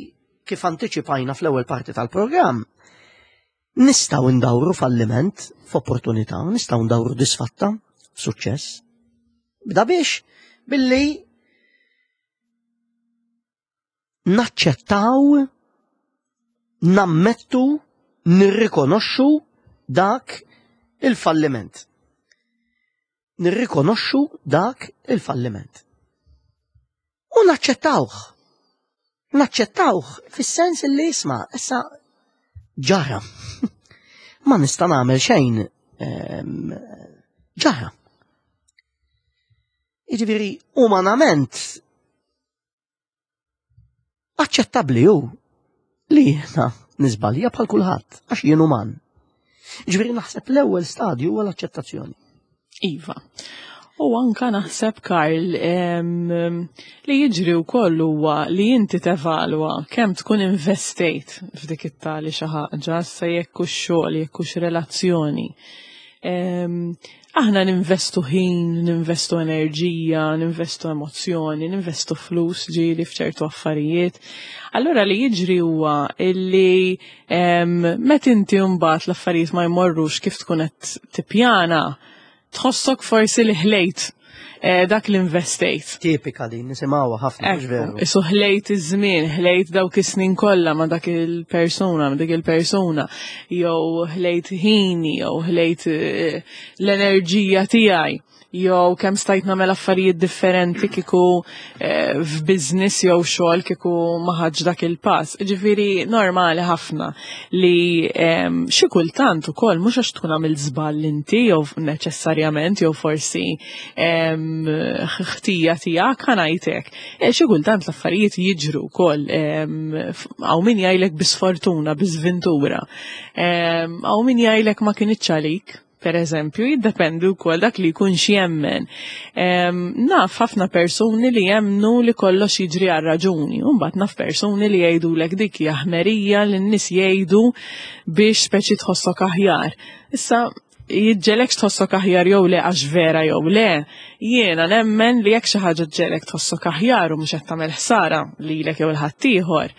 kif antiċipajna fl-ewwel parti tal-programm, nistgħu ndawru falliment f'opportunità, nistgħu ndawru disfatta f'suċċess. Bda biex billi naċċettaw, nammettu, nirrikonoxxu dak il-falliment. Nirrikonoxxu dak il-falliment. U naċċettawh. Naċċettawh fis-sens li jisma' issa ġara. Ma nista' nagħmel xejn ehm, ġara. Jiġifieri umanament aċċettabbli hu li jiena niżbalja bħal kulħadd għax jien uman. Ġifieri naħseb l-ewwel stadju huwa l-aċċettazzjoni. Iva. U anka naħseb Karl li jiġri wkoll huwa li inti tevalwa kemm tkun investejt f'dik it-tali xi ħaġa, sa jekk hux xogħol, jekk hux relazzjoni. Aħna ninvestu ħin, ninvestu enerġija, ninvestu emozzjoni, ninvestu flus ġieli f'ċertu affarijiet. Allura li jiġri huwa illi meta inti mbagħad l-affarijiet ma jmorrux kif tkun qed tippjana, tħossok forsi li ħlejt. Eh, dak li investejt. Tipika din, nisimgħuha ħafna, mhux veru. Isu ħlejt iż-żmien, ħlejt dawk is-snin kollha ma' dak il-persuna, ma' dik il-persuna, jew ħlejt ħini, jew ħlejt eh, l-enerġija tiegħi jew kemm stajt nagħmel affarijiet differenti kieku eh, f'business jew xogħol kieku ma ħadx dak il-pass. Ġifieri normali ħafna li xi kultant ukoll mhux għax tkun għamilt żball inti jew neċessarjament jew forsi ħtija tiegħek ħa ngħidlek. Eh, xi kultant l-affarijiet jiġru wkoll hawn min jgħidlek bi sfortuna, bi żventura. Hawn min jgħidlek ma kinitx għalik per eżempju, jiddependi wkoll dak li jkun jemmen. Naf ħafna persuni li jemnu li kollox jiġri għal raġuni, u mbagħad naf persuni li jgħidulek dik hija ħmerija li n-nies jgħidu biex speċi tħossok aħjar. Issa jiġġelek tħossok aħjar jew le għax vera jew le, jiena nemmen li jekk xi ħaġa ġġelek tħossok aħjar u mhux qed tagħmel ħsara lilek jew il-ħaddieħor,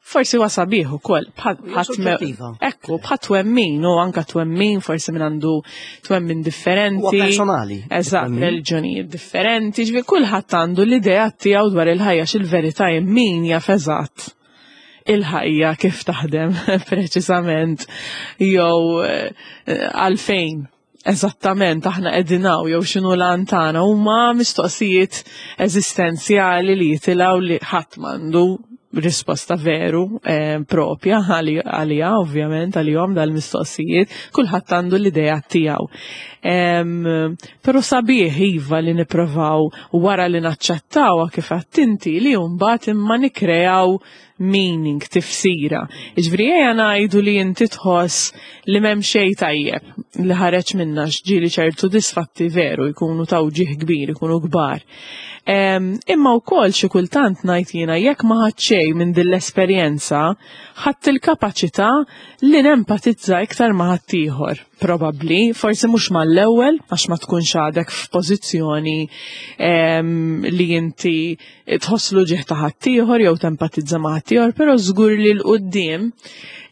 forsi huwa sabiħ ukoll Ekku, bħal twemmin u anka twemmin forsi minn għandu twemmin differenti. Huwa personali. Eżatt, reliġjonijiet differenti, ġifieri kulħadd għandu l-idea tiegħu dwar il-ħajja x'il-verità min jaf eżatt il-ħajja kif taħdem preċisament jew eh, għalfejn eżattament aħna qegħdin hawn jew x'inhu l-għan tagħna huma mistoqsijiet eżistenzjali li jitilgħu li ħadd m'għandu risposta veru eh, propja għalija ovvjament għalihom dal-mistoqsijiet, kulħadd għandu l-idea tiegħu. Però sabiħ iva li nipprovaw wara li naċċettawha kif inti li mbagħad imma nikrejaw meaning, tifsira. Ġifieri ejja ngħidu li inti tħoss li m'hemm xejn tajjeb li ħareġ minna ġieli ċertu disfatti veru jkunu ta' uġigħ kbir, jkunu kbar. Imma wkoll xi kultant ngħid jiena jekk ma ħadt xejn minn din l-esperjenza, ħadt il-kapaċità li nempatizza iktar ma' ħaddieħor. Probabbli, forsi mhux mal-ewwel għax ma tkunx għadek f'pożizzjoni li inti tħoss l-uġigħ ta' ħaddieħor jew tempatizza ma' ħaddieħor, però żgur li 'l quddiem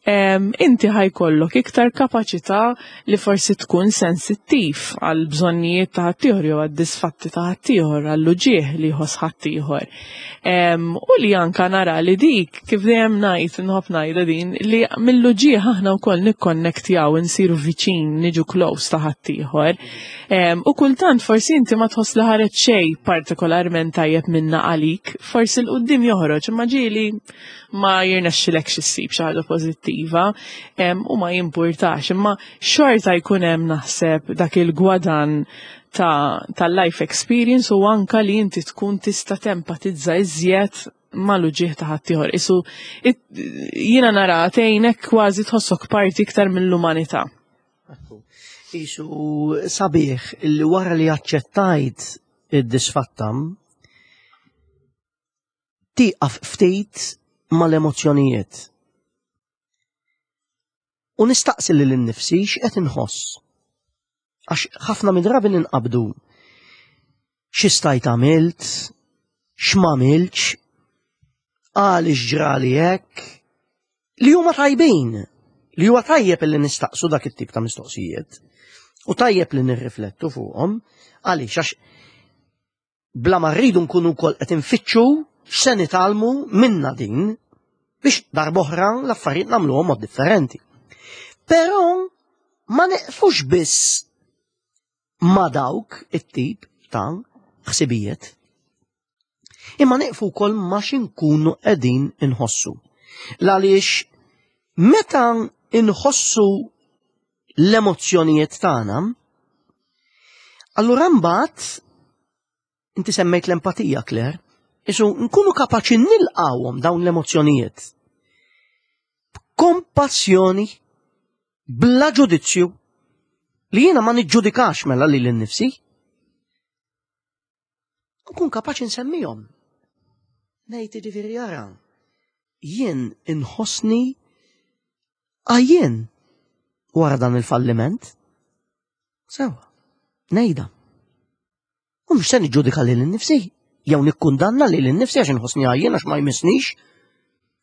inti ħa jkollok iktar kapaċità li forsi tkun sensittiv għal bżonnijiet ta' ħaddieħor jew għad-disfatti ta' ħaddieħor, għall-uġigħ li jħoss ħaddieħor. U li anka nara li dik, kif dejjem ngħid, nħobb ngħidha din, li mill-uġigħ aħna wkoll nikkonnektjaw, insiru viċin, niġu close ta' ħaddieħor. U kultant forsi inti ma tħoss li ħareġ xejn partikolarment tajjeb minna għalik, forsi 'l quddiem joħroġ, imma ġieli ma jirnexxilekx issib xi ħaġa pożittiva u ma jimpurtax, imma xorta jkun hemm naħseb dak il-gwadan ta' life experience u anka li inti tkun tista' tempatizza iżjed mal-uġigħ ta' ħaddieħor. Isu jiena nara tgħinek kważi tħossok parti iktar mill-umanità. Isu sabiħ li wara li aċċettajt id-disfatta tieqaf ftit mal-emozzjonijiet. U nistaqsi lil innifsi x'qed inħoss. Għax ħafna mid-drabi ninqabdu xi stajt għamilt, x'm'għamiltx, għaliex ġrali hekk, li huma tajbin, li huwa tajjeb li nistaqsu dak it-tip ta' mistoqsijiet. U tajjeb li nirriflettu fuqhom, għaliex għax bla ma rridu nkunu wkoll qed infittxu x'se nitgħallmu minna din biex darb'oħra l-affarijiet nagħmluhom mod differenti. Però ma neqfux biss ma dawk it-tip ta' ħsibijiet. Imma neqfu wkoll ma x'inkunu qegħdin inħossu. L-għaliex meta inħossu l-emozzjonijiet tagħna, allura mbagħad inti semmejt l-empatija, Claire, isu nkunu kapaċi nilqawhom dawn l-emozzjonijiet. B'kompassjoni, bla ġudizzju, li jiena ma niġġudikax mela lili nnifsi. Nkun kapaċi nsemmihom. Ngħid jiġifieri ara, jien inħossni għajjien wara dan il-falliment. Sewa, ngħidha. U mhux se niġġudika lili nnifsi, jew nikkundanna lili nnifsi għax inħossni għajjien għax ma jmissnix.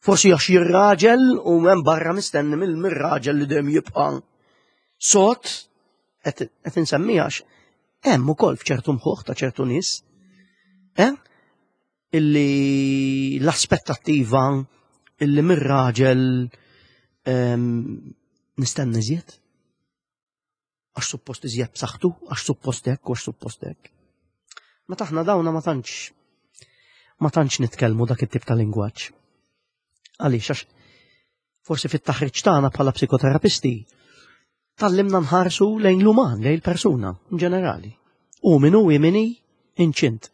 Forsi għax jien raġel u hemm barra mistenni mill-raġel li dejjem jibqa' sod qed insemmi għax. Hemm ukoll f'ċertu mħuħ ta' ċertu nies, eh? Illi l-aspettattiva illi mir-raġel ehm, nistenna iżjed. Għax suppost iżjed b'saħħtu, għax suppost hekk, għax suppost hekk. Meta aħna dawna ma tantx ma tantx nitkellmu dak it-tip ta' lingwaġġ. Għaliex għax forsi fit-taħriġ tagħna bħala psikoterapisti tallimna nħarsu lejn l-uman, lejn il-persuna in ġenerali. U min hu min inċint.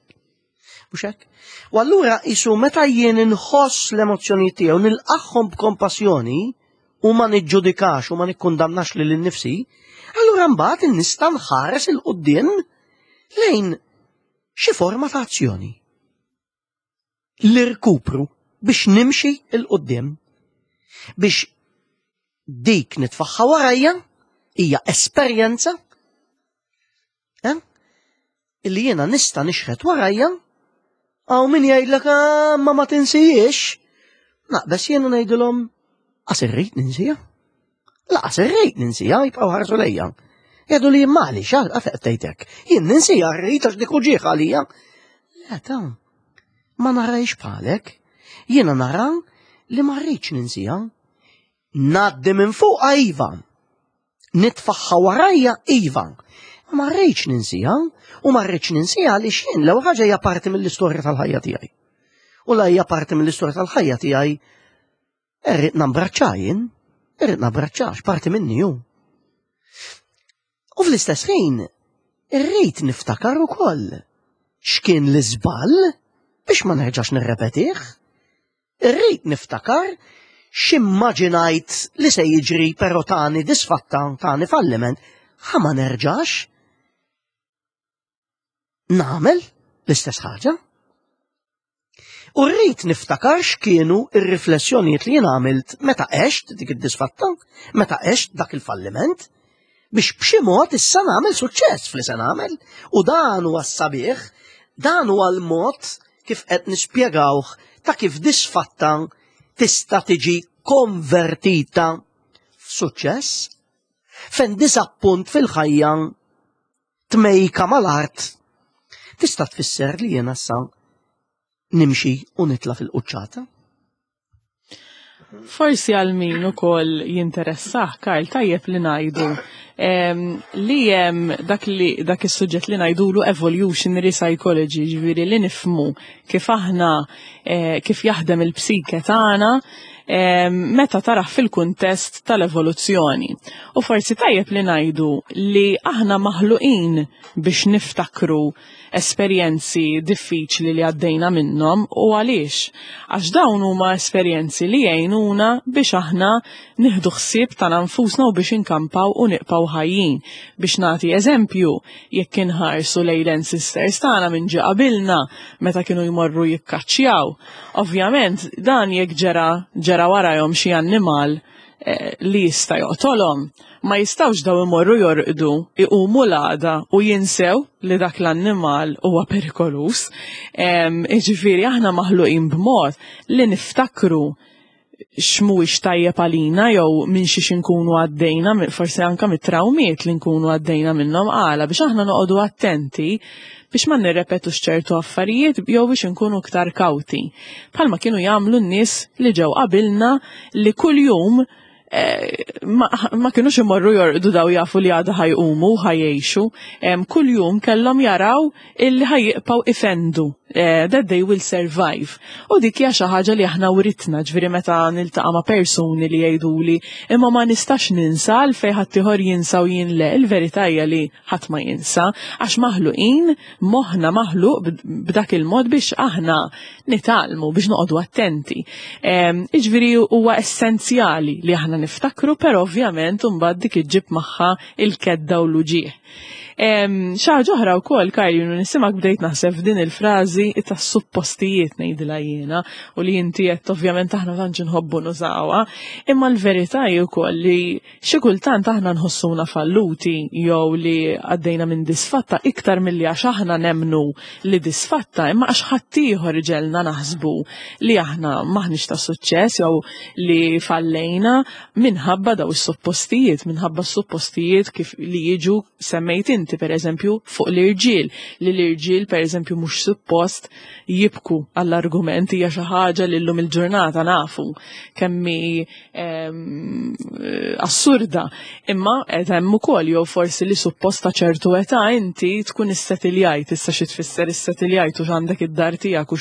Mhux hekk? U allura isu meta jien inħoss l-emozzjonijiet tiegħu nilqagħhom b'kompassjoni u ma niġġudikax u ma nikkundannax lil innifsi, allura mbagħad nista' nħares il quddiem lejn xi forma ta' azzjoni. L-irkupru biex nimxi 'l quddiem biex dik nitfaħħa warajja hija esperjenza eh? illi jiena nista' nixħet warajja hawn min jgħidlek ah, ma ma tinsijiex. Naqbes jiena ngħidilhom qas irrid ninsija. Laqas irrid ninsija jibqgħu ħarsu lejja. Jgħidu li mali xal għafeq tgħidek. Jien ninsija rrid għax dik uġieħ għalija. Le ta' ma narajx bħalek. Jiena nara li ma rridx ninsija. Naddi minn fuqha iva. Nitfaħħa warajja iva. Ma rridx ninsija u ma rridx ninsija għaliex jien l-ewwel ħaġa hija parti mill-istorja tal-ħajja tiegħi. U la hija parti mill-istorja tal-ħajja tiegħi irrid nambraċċa jien, irrid nambraċċax parti minni hu. U fl-istess ħin irrid niftakar ukoll x'kien l-iżball biex ma nerġax nirrepetih. Irrid niftakar x'immaġinajt li se jiġri però tani disfatta, tani falliment, ħa ma nerġax nagħmel l-istess ħaġa. U rrid niftakar x'kienu r-riflessjonijiet li jien għamilt meta għext dik id-disfatta, meta għext dak il-falliment, biex b'xi mod issa nagħmel suċċess fli se nagħmel. U dan huwa s-sabiħ, dan huwa l-mod kif qed nispjegawh ta' kif disfatta tista' tiġi konvertita f'suċċess. Fejn disappunt fil-ħajja tmejka mal-art tista' tfisser li jiena sa nimxi u nitla' fil-quċċata. Forsi għal min ukoll jinteressah, Karl, tajjeb li ngħidu li hemm dak li dak is-suġġett li ngħidulu evolutionary psychology, ġifieri li nifhmu kif aħna eh, kif jaħdem il-psike tagħna meta taraħ fil-kuntest tal-evoluzzjoni. U forsi tajjeb li ngħidu li aħna maħluqin biex niftakru esperjenzi diffiċli li għaddejna minnhom u għaliex? Għax dawn huma esperjenzi li jgħinuna biex aħna nieħdu ħsieb tagħna nfusna u biex inkampaw u nibqgħu ħajjin. Biex nagħti eżempju, jekk inħarsu lejn l-ancestors tagħna minn ġie qabilna meta kienu jmorru jikkaċċjaw. Ovvjament dan jekk ġera ġera warajhom xi annimal eh, li jista' joqtolhom. Ma jistgħux daw imorru jorqdu, iqumu l-għada u jinsew li dak l-annimal huwa perikolus. Jiġifieri aħna maħluqin b'mod li niftakru x'mhuwiex tajjeb għalina jew minn xiex inkunu għaddejna, forsi anka mit-trawmiet li nkunu għaddejna minnhom għala biex aħna noqogħdu attenti biex ma nirrepetux ċertu affarijiet jew biex inkunu iktar kawti. Bħalma kienu jagħmlu n-nies li ġew qabilna li kuljum eh, ma, ma kienux imorru jorqdu daw jafu li għada ħajqumu ħajjexu. Kuljum kellhom jaraw illi ħajjibqgħu ifendu eh, that they will survive. U dik hija xi ħaġa li aħna writna, ġifieri meta niltaqa' ma' persuni li jgħiduli imma ma nistax ninsa għalfejn ħaddieħor jinsa u jien le, il-verità hija li ħadd ma jinsa, għax maħluqin, moħħna maħluq b'dak il-mod biex aħna nitgħallmu, biex noqogħdu attenti. Iġviri huwa essenzjali li aħna niftakru, però ovvjament imbagħad dik iġġib magħha il-kedda u l-uġigħ. Xi ħaġa oħra wkoll, Karl, jien nisimak bdejt naħseb f'din il-frażi tas-suppostijiet ngħidilha jiena u li inti qed ovvjament aħna tantx inħobbu nużawha, imma l-verità hi wkoll li Xi kultant aħna nħossuna falluti jew li għaddejna minn disfatta iktar milli għax aħna nemmnu li disfatta, imma għax ħaddieħor iġegħelna naħsbu li aħna m'aħniex ta' suċċess jew li fallejna minħabba daw is-suppostijiet, minħabba s-suppostijiet kif li jiġu semmejt inti. differenti, per eżempju, fuq l-irġiel, li l-irġiel, per eżempju, mhux suppost jibku għall-argument hija xi ħaġa li llum il-ġurnata nafu kemmi assurda. Imma qed hemm ukoll jew forsi li suppost ta' ċertu età inti tkun issetiljajt, issa xi tfisser issetiljajt u x'għandek id-dar tiegħek u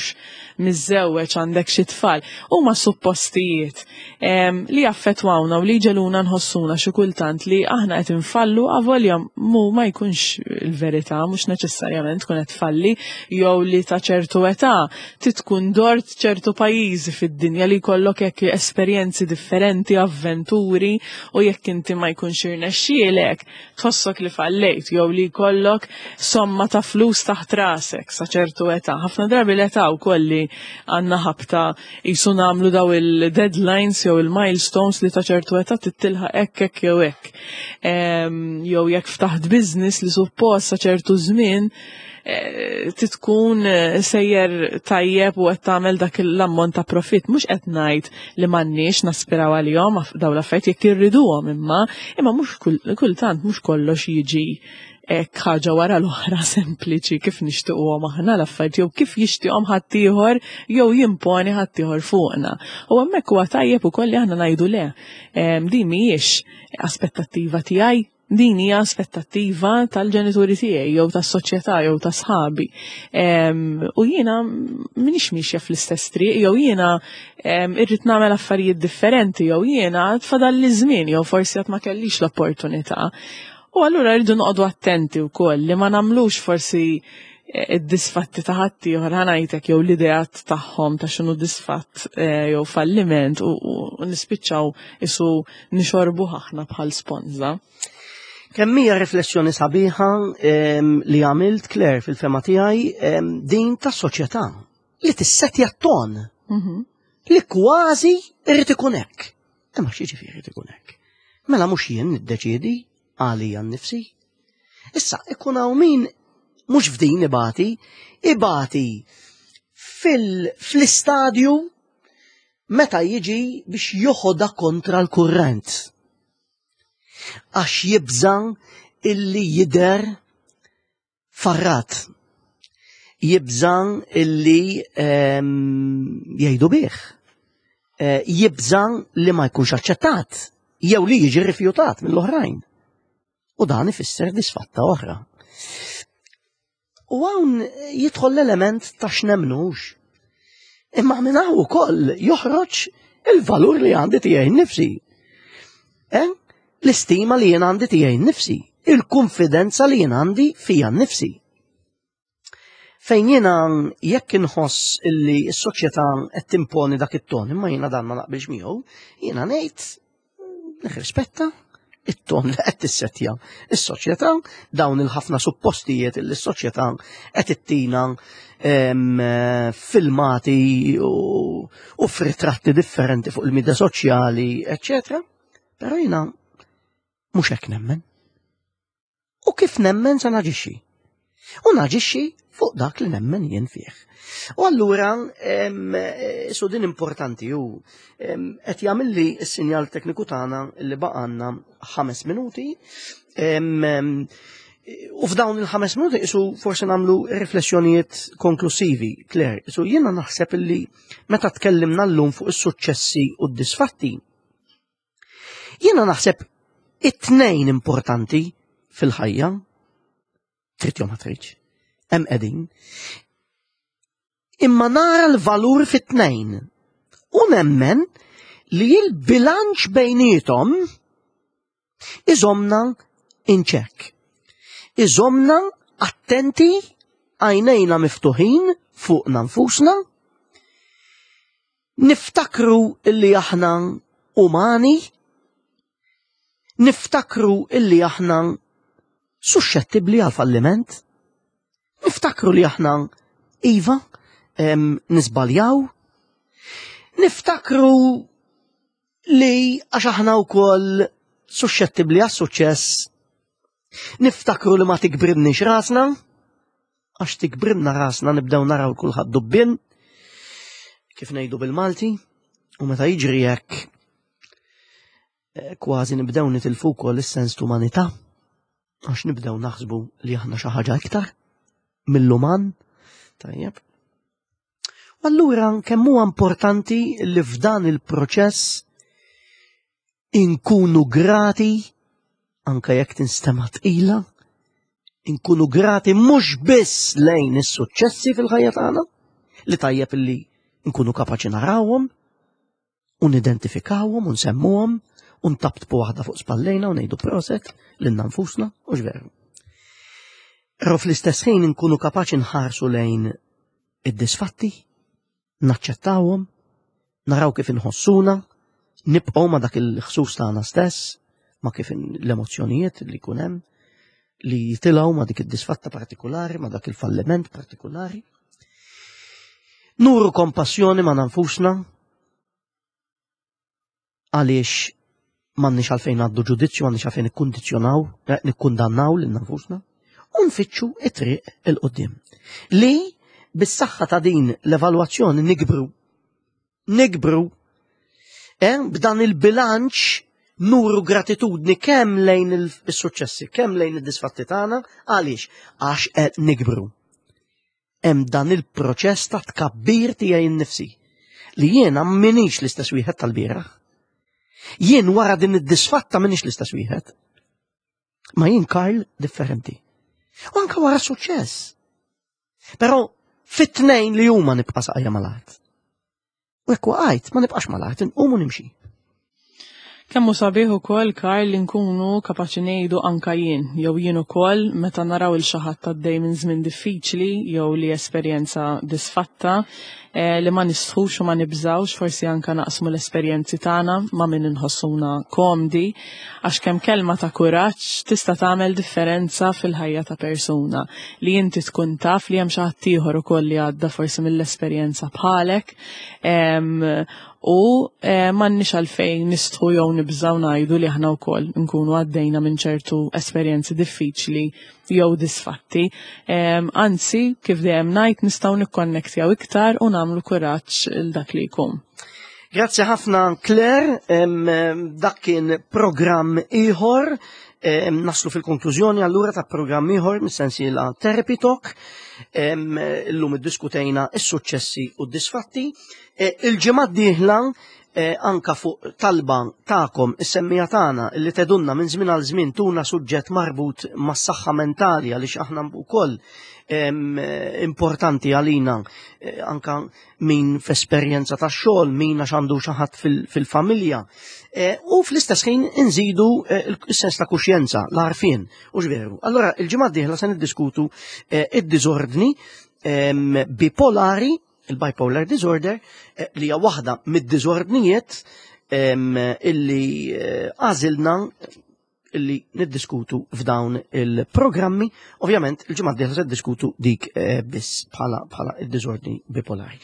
miżżewweġ għandek xi tfal. Huma suppostijiet li jaffettwawna u li jġeluna nħossuna xi kultant li aħna qed infallu avolja mu ma jkunx il-verità, mhux neċessarjament tkun qed tfalli jew li ta' ċertu età titkun dort ċertu pajjiżi fid-dinja li jkollok hekk esperjenzi differenti, avventuri u jekk inti ma jkunx irnexxielek tħossok li fallejt jew li jkollok somma ta' flus taħt rasek sa ċertu età. Ħafna drabi l-età wkoll li għandna ħabta jisu nagħmlu daw il-deadlines jew il-milestones li ta' ċertu età tittilħaq hekk hekk jew hekk. Jew jekk ftaħt business li suppost sa ċertu żmien eh, titkun eh, sejjer tajjeb u qed tagħmel dak l-ammont ta' profitt. Mhux qed ngħid li m'għandniex naspiraw għalihom dawn l-affarijiet jekk irriduhom imma imma mhux kultant mhux kollox jiġi hekk ħaġa wara l-oħra sempliċi kif nixtiequhom aħna l-affarijiet jew kif jixtieqhom ħaddieħor jew jimponi ħaddieħor fuqna. U hemmhekk huwa tajjeb ukoll li aħna ngħidu le. Din mhijiex aspettattiva tiegħi Din hija aspettattiva tal-ġenituri tiegħi jew tas-soċjetà jew ta' sħabi. U jiena m'iniex miexja fl-istess triq jew jiena irrid nagħmel affarijiet differenti jew jiena tfadal li żmien jew forsi qatt ma kellix l-opportunità. U allura rridu noqogħdu attenti wkoll li ma nagħmlux forsi id-disfatti ta' ħaddieħor ħanajtek jew l-ideat tagħhom ta' x'inhu disfatt eh, jew falliment u nispiċċaw isu nixorbu aħna bħal sponża. Kemm hija riflessjoni sabiħa ehm, li għamilt Claire fil-fema tiegħi ehm, din tas-soċjetà li tissetja t-ton mhm. li kważi irrid ikun hekk. Imma xi ġifieri ikun hekk? Mela mhux jien niddeċiedi għalija nnifsi. Issa, ikun hawn min mhux f'din ibati, ibati fl-istadju meta jiġi biex joħodha kontra l-kurrent. Għax jibża illi jidher farrat. Jibża illi ehm, jgħidu bih. Eh, jibża li ma jkunx aċċettat jew li jiġi rifjutat mill-oħrajn. U dan ifisser disfatta oħra. U hawn jidħol l-element ta' x'nemnux. Imma minn hawn ukoll joħroġ il-valur li għandi tiegħi nnifsi. Eh? L-istima li jien għandi tiegħi nnifsi, il-konfidenza li jien għandi fija nnifsi. Fejn jiena jekk inħoss illi s-soċjetà qed timponi dak it-ton, imma jiena dan ma naqbilx miegħu, jiena ngħid nirrispetta it-ton li qed tissettja is-soċjetà, dawn il-ħafna suppostijiet li s-soċjetà qed ittina filmati u f'ritratti differenti fuq il-midja soċjali, eċċetera. Però jiena mhux hekk nemmen. U kif nemmen sa naġixxi. U naġixxi fuq dak li nemmen jien fih. U allura su din importanti u qed jagħmilli s-sinjal tekniku tagħna li baqanna ħames minuti. U f'dawn il-ħames minuti isu forsi nagħmlu riflessjonijiet konklusivi, Claire. Isu jiena naħseb illi meta tkellimna llum fuq is-suċċessi u d-disfatti, Jiena naħseb it-tnejn importanti fil-ħajja, trid jew ma tridx, hemm qegħdin. Imma nara l-valur fit-tnejn u nemmen li l-bilanċ bejnietom iżomna in check. Iżomna attenti, għajnejna miftuħin fuqna nfusna, Niftakru illi aħna umani, niftakru illi aħna suxxettibbli għal falliment, niftakru li aħna iva nisbaljaw, niftakru li għax aħna wkoll suxxettibbli għas-suċċess, niftakru li ma tikbrinniex rasna, għax tikbrinna rasna nibdew naraw kulħadd dubbien, kif ngħidu bil-Malti, u meta jiġri hekk eh, kważi nibdew nitilfu wkoll is-sens t'umanità. Għax nibdew naħsbu li aħna xi ħaġa iktar mill-uman. Tajjeb. Allura kemm huwa importanti li f'dan il-proċess inkunu grati anka jekk tinstema' tqila, inkunu grati mhux biss lejn is-suċċessi fil-ħajja tagħna, li tajjeb li nkunu kapaċi narawhom u nidentifikawhom u nsemmuhom u ntabtbu waħda fuq spallejna u ngħidu proset lilna nfusna u x'veru. Però fl-istess ħin inkunu kapaċi nħarsu lejn id-disfatti, naċċettawhom, naraw kif inħossuna, nibqgħu ma' dak il-ħsus tagħna stess, ma' kif l-emozzjonijiet li jkun hemm, li jitilgħu ma' dik id-disfatta partikolari, ma' dak il-falliment partikolari. Nuru kompassjoni ma' nfusna għaliex m'għandniex għalfejn għaddu ġudizzju, m'għandniex għalfejn nikkundizzjonaw, eh, nikkundannaw lil nfusna, u nfittxu it-triq il-qudiem. Li bis-saħħa ta' din l-evalwazzjoni nikbru. Nikbru. Eh, b'dan il-bilanċ nuru gratitudni kemm lejn il-suċċessi, kemm lejn id-disfatti tagħna, għaliex għax qed nikbru. Hemm dan il-proċess ta' tkabbir tiegħi nnifsi li jiena minix l-istess wieħed tal-bieraħ. Jien wara din id-disfatta minix l-istess wieħed. Ma jien Karl differenti. U anka wara suċċess. Però fit-tnejn li huma nibqa' saqajja mal-art. U jekk waqajt, ma nibqax mal-art, inqum u nimxi. Kemm hu sabiħ ukoll Karl li nkunu kapaċi ngħidu anka jien, jew jien ukoll meta naraw il xi ħadd għaddej minn żmien diffiċli jew li esperjenza disfatta, eh, li ma nistħux u ma nibżgħux forsi anka naqsmu l-esperjenzi tagħna ma' min inħossuna komdi, għax kemm kelma ta' kuraġġ tista' tagħmel differenza fil-ħajja ta' persuna li inti tkun taf li hemm xi ħadd ieħor ukoll li għadda forsi mill-esperjenza bħalek u eh, m'għandniex għalfejn nistħu jew nibżgħu ngħidu li aħna wkoll nkunu għaddejna minn ċertu esperjenzi diffiċli jew disfatti. Anzi, kif dejjem ngħid nistgħu nikkonnektjaw iktar u nagħmlu kuraġġ il dak li jkun. Grazzi ħafna Claire, dak kien programm ieħor naslu fil-konklużjoni allura ta' programm ieħor mis-sensiela Therapy Talk. Illum iddiskutejna is-suċċessi u d-disfatti. E, il-ġimgħa d-dieħla e, anka fuq talba tagħkom is-semmija tagħna li tedunna minn żmien għal żmien tuna suġġett marbut mas-saħħa mentali għaliex aħna wkoll importanti għalina e, anka min f'esperjenza ta' xogħol, min għax għandu xi ħadd fil-familja. E, u fl-istess ħin inżidu e, s-sens ta' kuxjenza, l-għarfien, u veru. Allora, il-ġimgħa d-dieħla se niddiskutu e, id-diżordni bipolari, il-bipolar disorder, li hija waħda mid-diżordnijiet illi għażilna illi niddiskutu f'dawn il-programmi. Ovvjament, il-ġimgħa d-dieħla se diskutu dik eh, biss bħala bħala id-diżordni bipolari.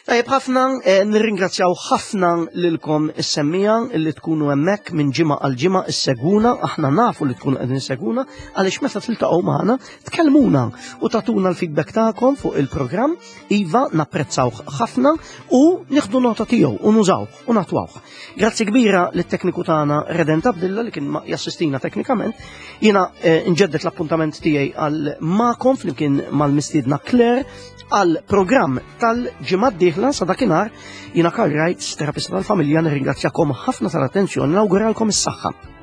Tajjeb ħafna, eh, nirringrazzjaw ħafna lilkom is-semmija illi tkunu hemmhekk minn ġimgħa għal ġimgħa issegwuna, aħna nafu li tkunu qegħdin issegwuna għaliex meta tiltaqgħu magħna tkellmuna u tagħtuna l-feedback tagħkom fuq il-programm, iva napprezzawh ħafna u nieħdu nota tiegħu u nużawh u natwawh. Grazzi kbira lit-tekniku tagħna Redent Abdilla li kien jassistina teknikament. Jiena eh, nġeddet l-appuntament tiegħi għal magħkom flimkien mal-mistiedna Claire għal programm tal-ġimgħa d-dieħla sa dakinhar jiena Karl Wright, terapista tal-familja, nirringrazzjakom ħafna tal-attenzjoni, nawguralkom is-saħħa.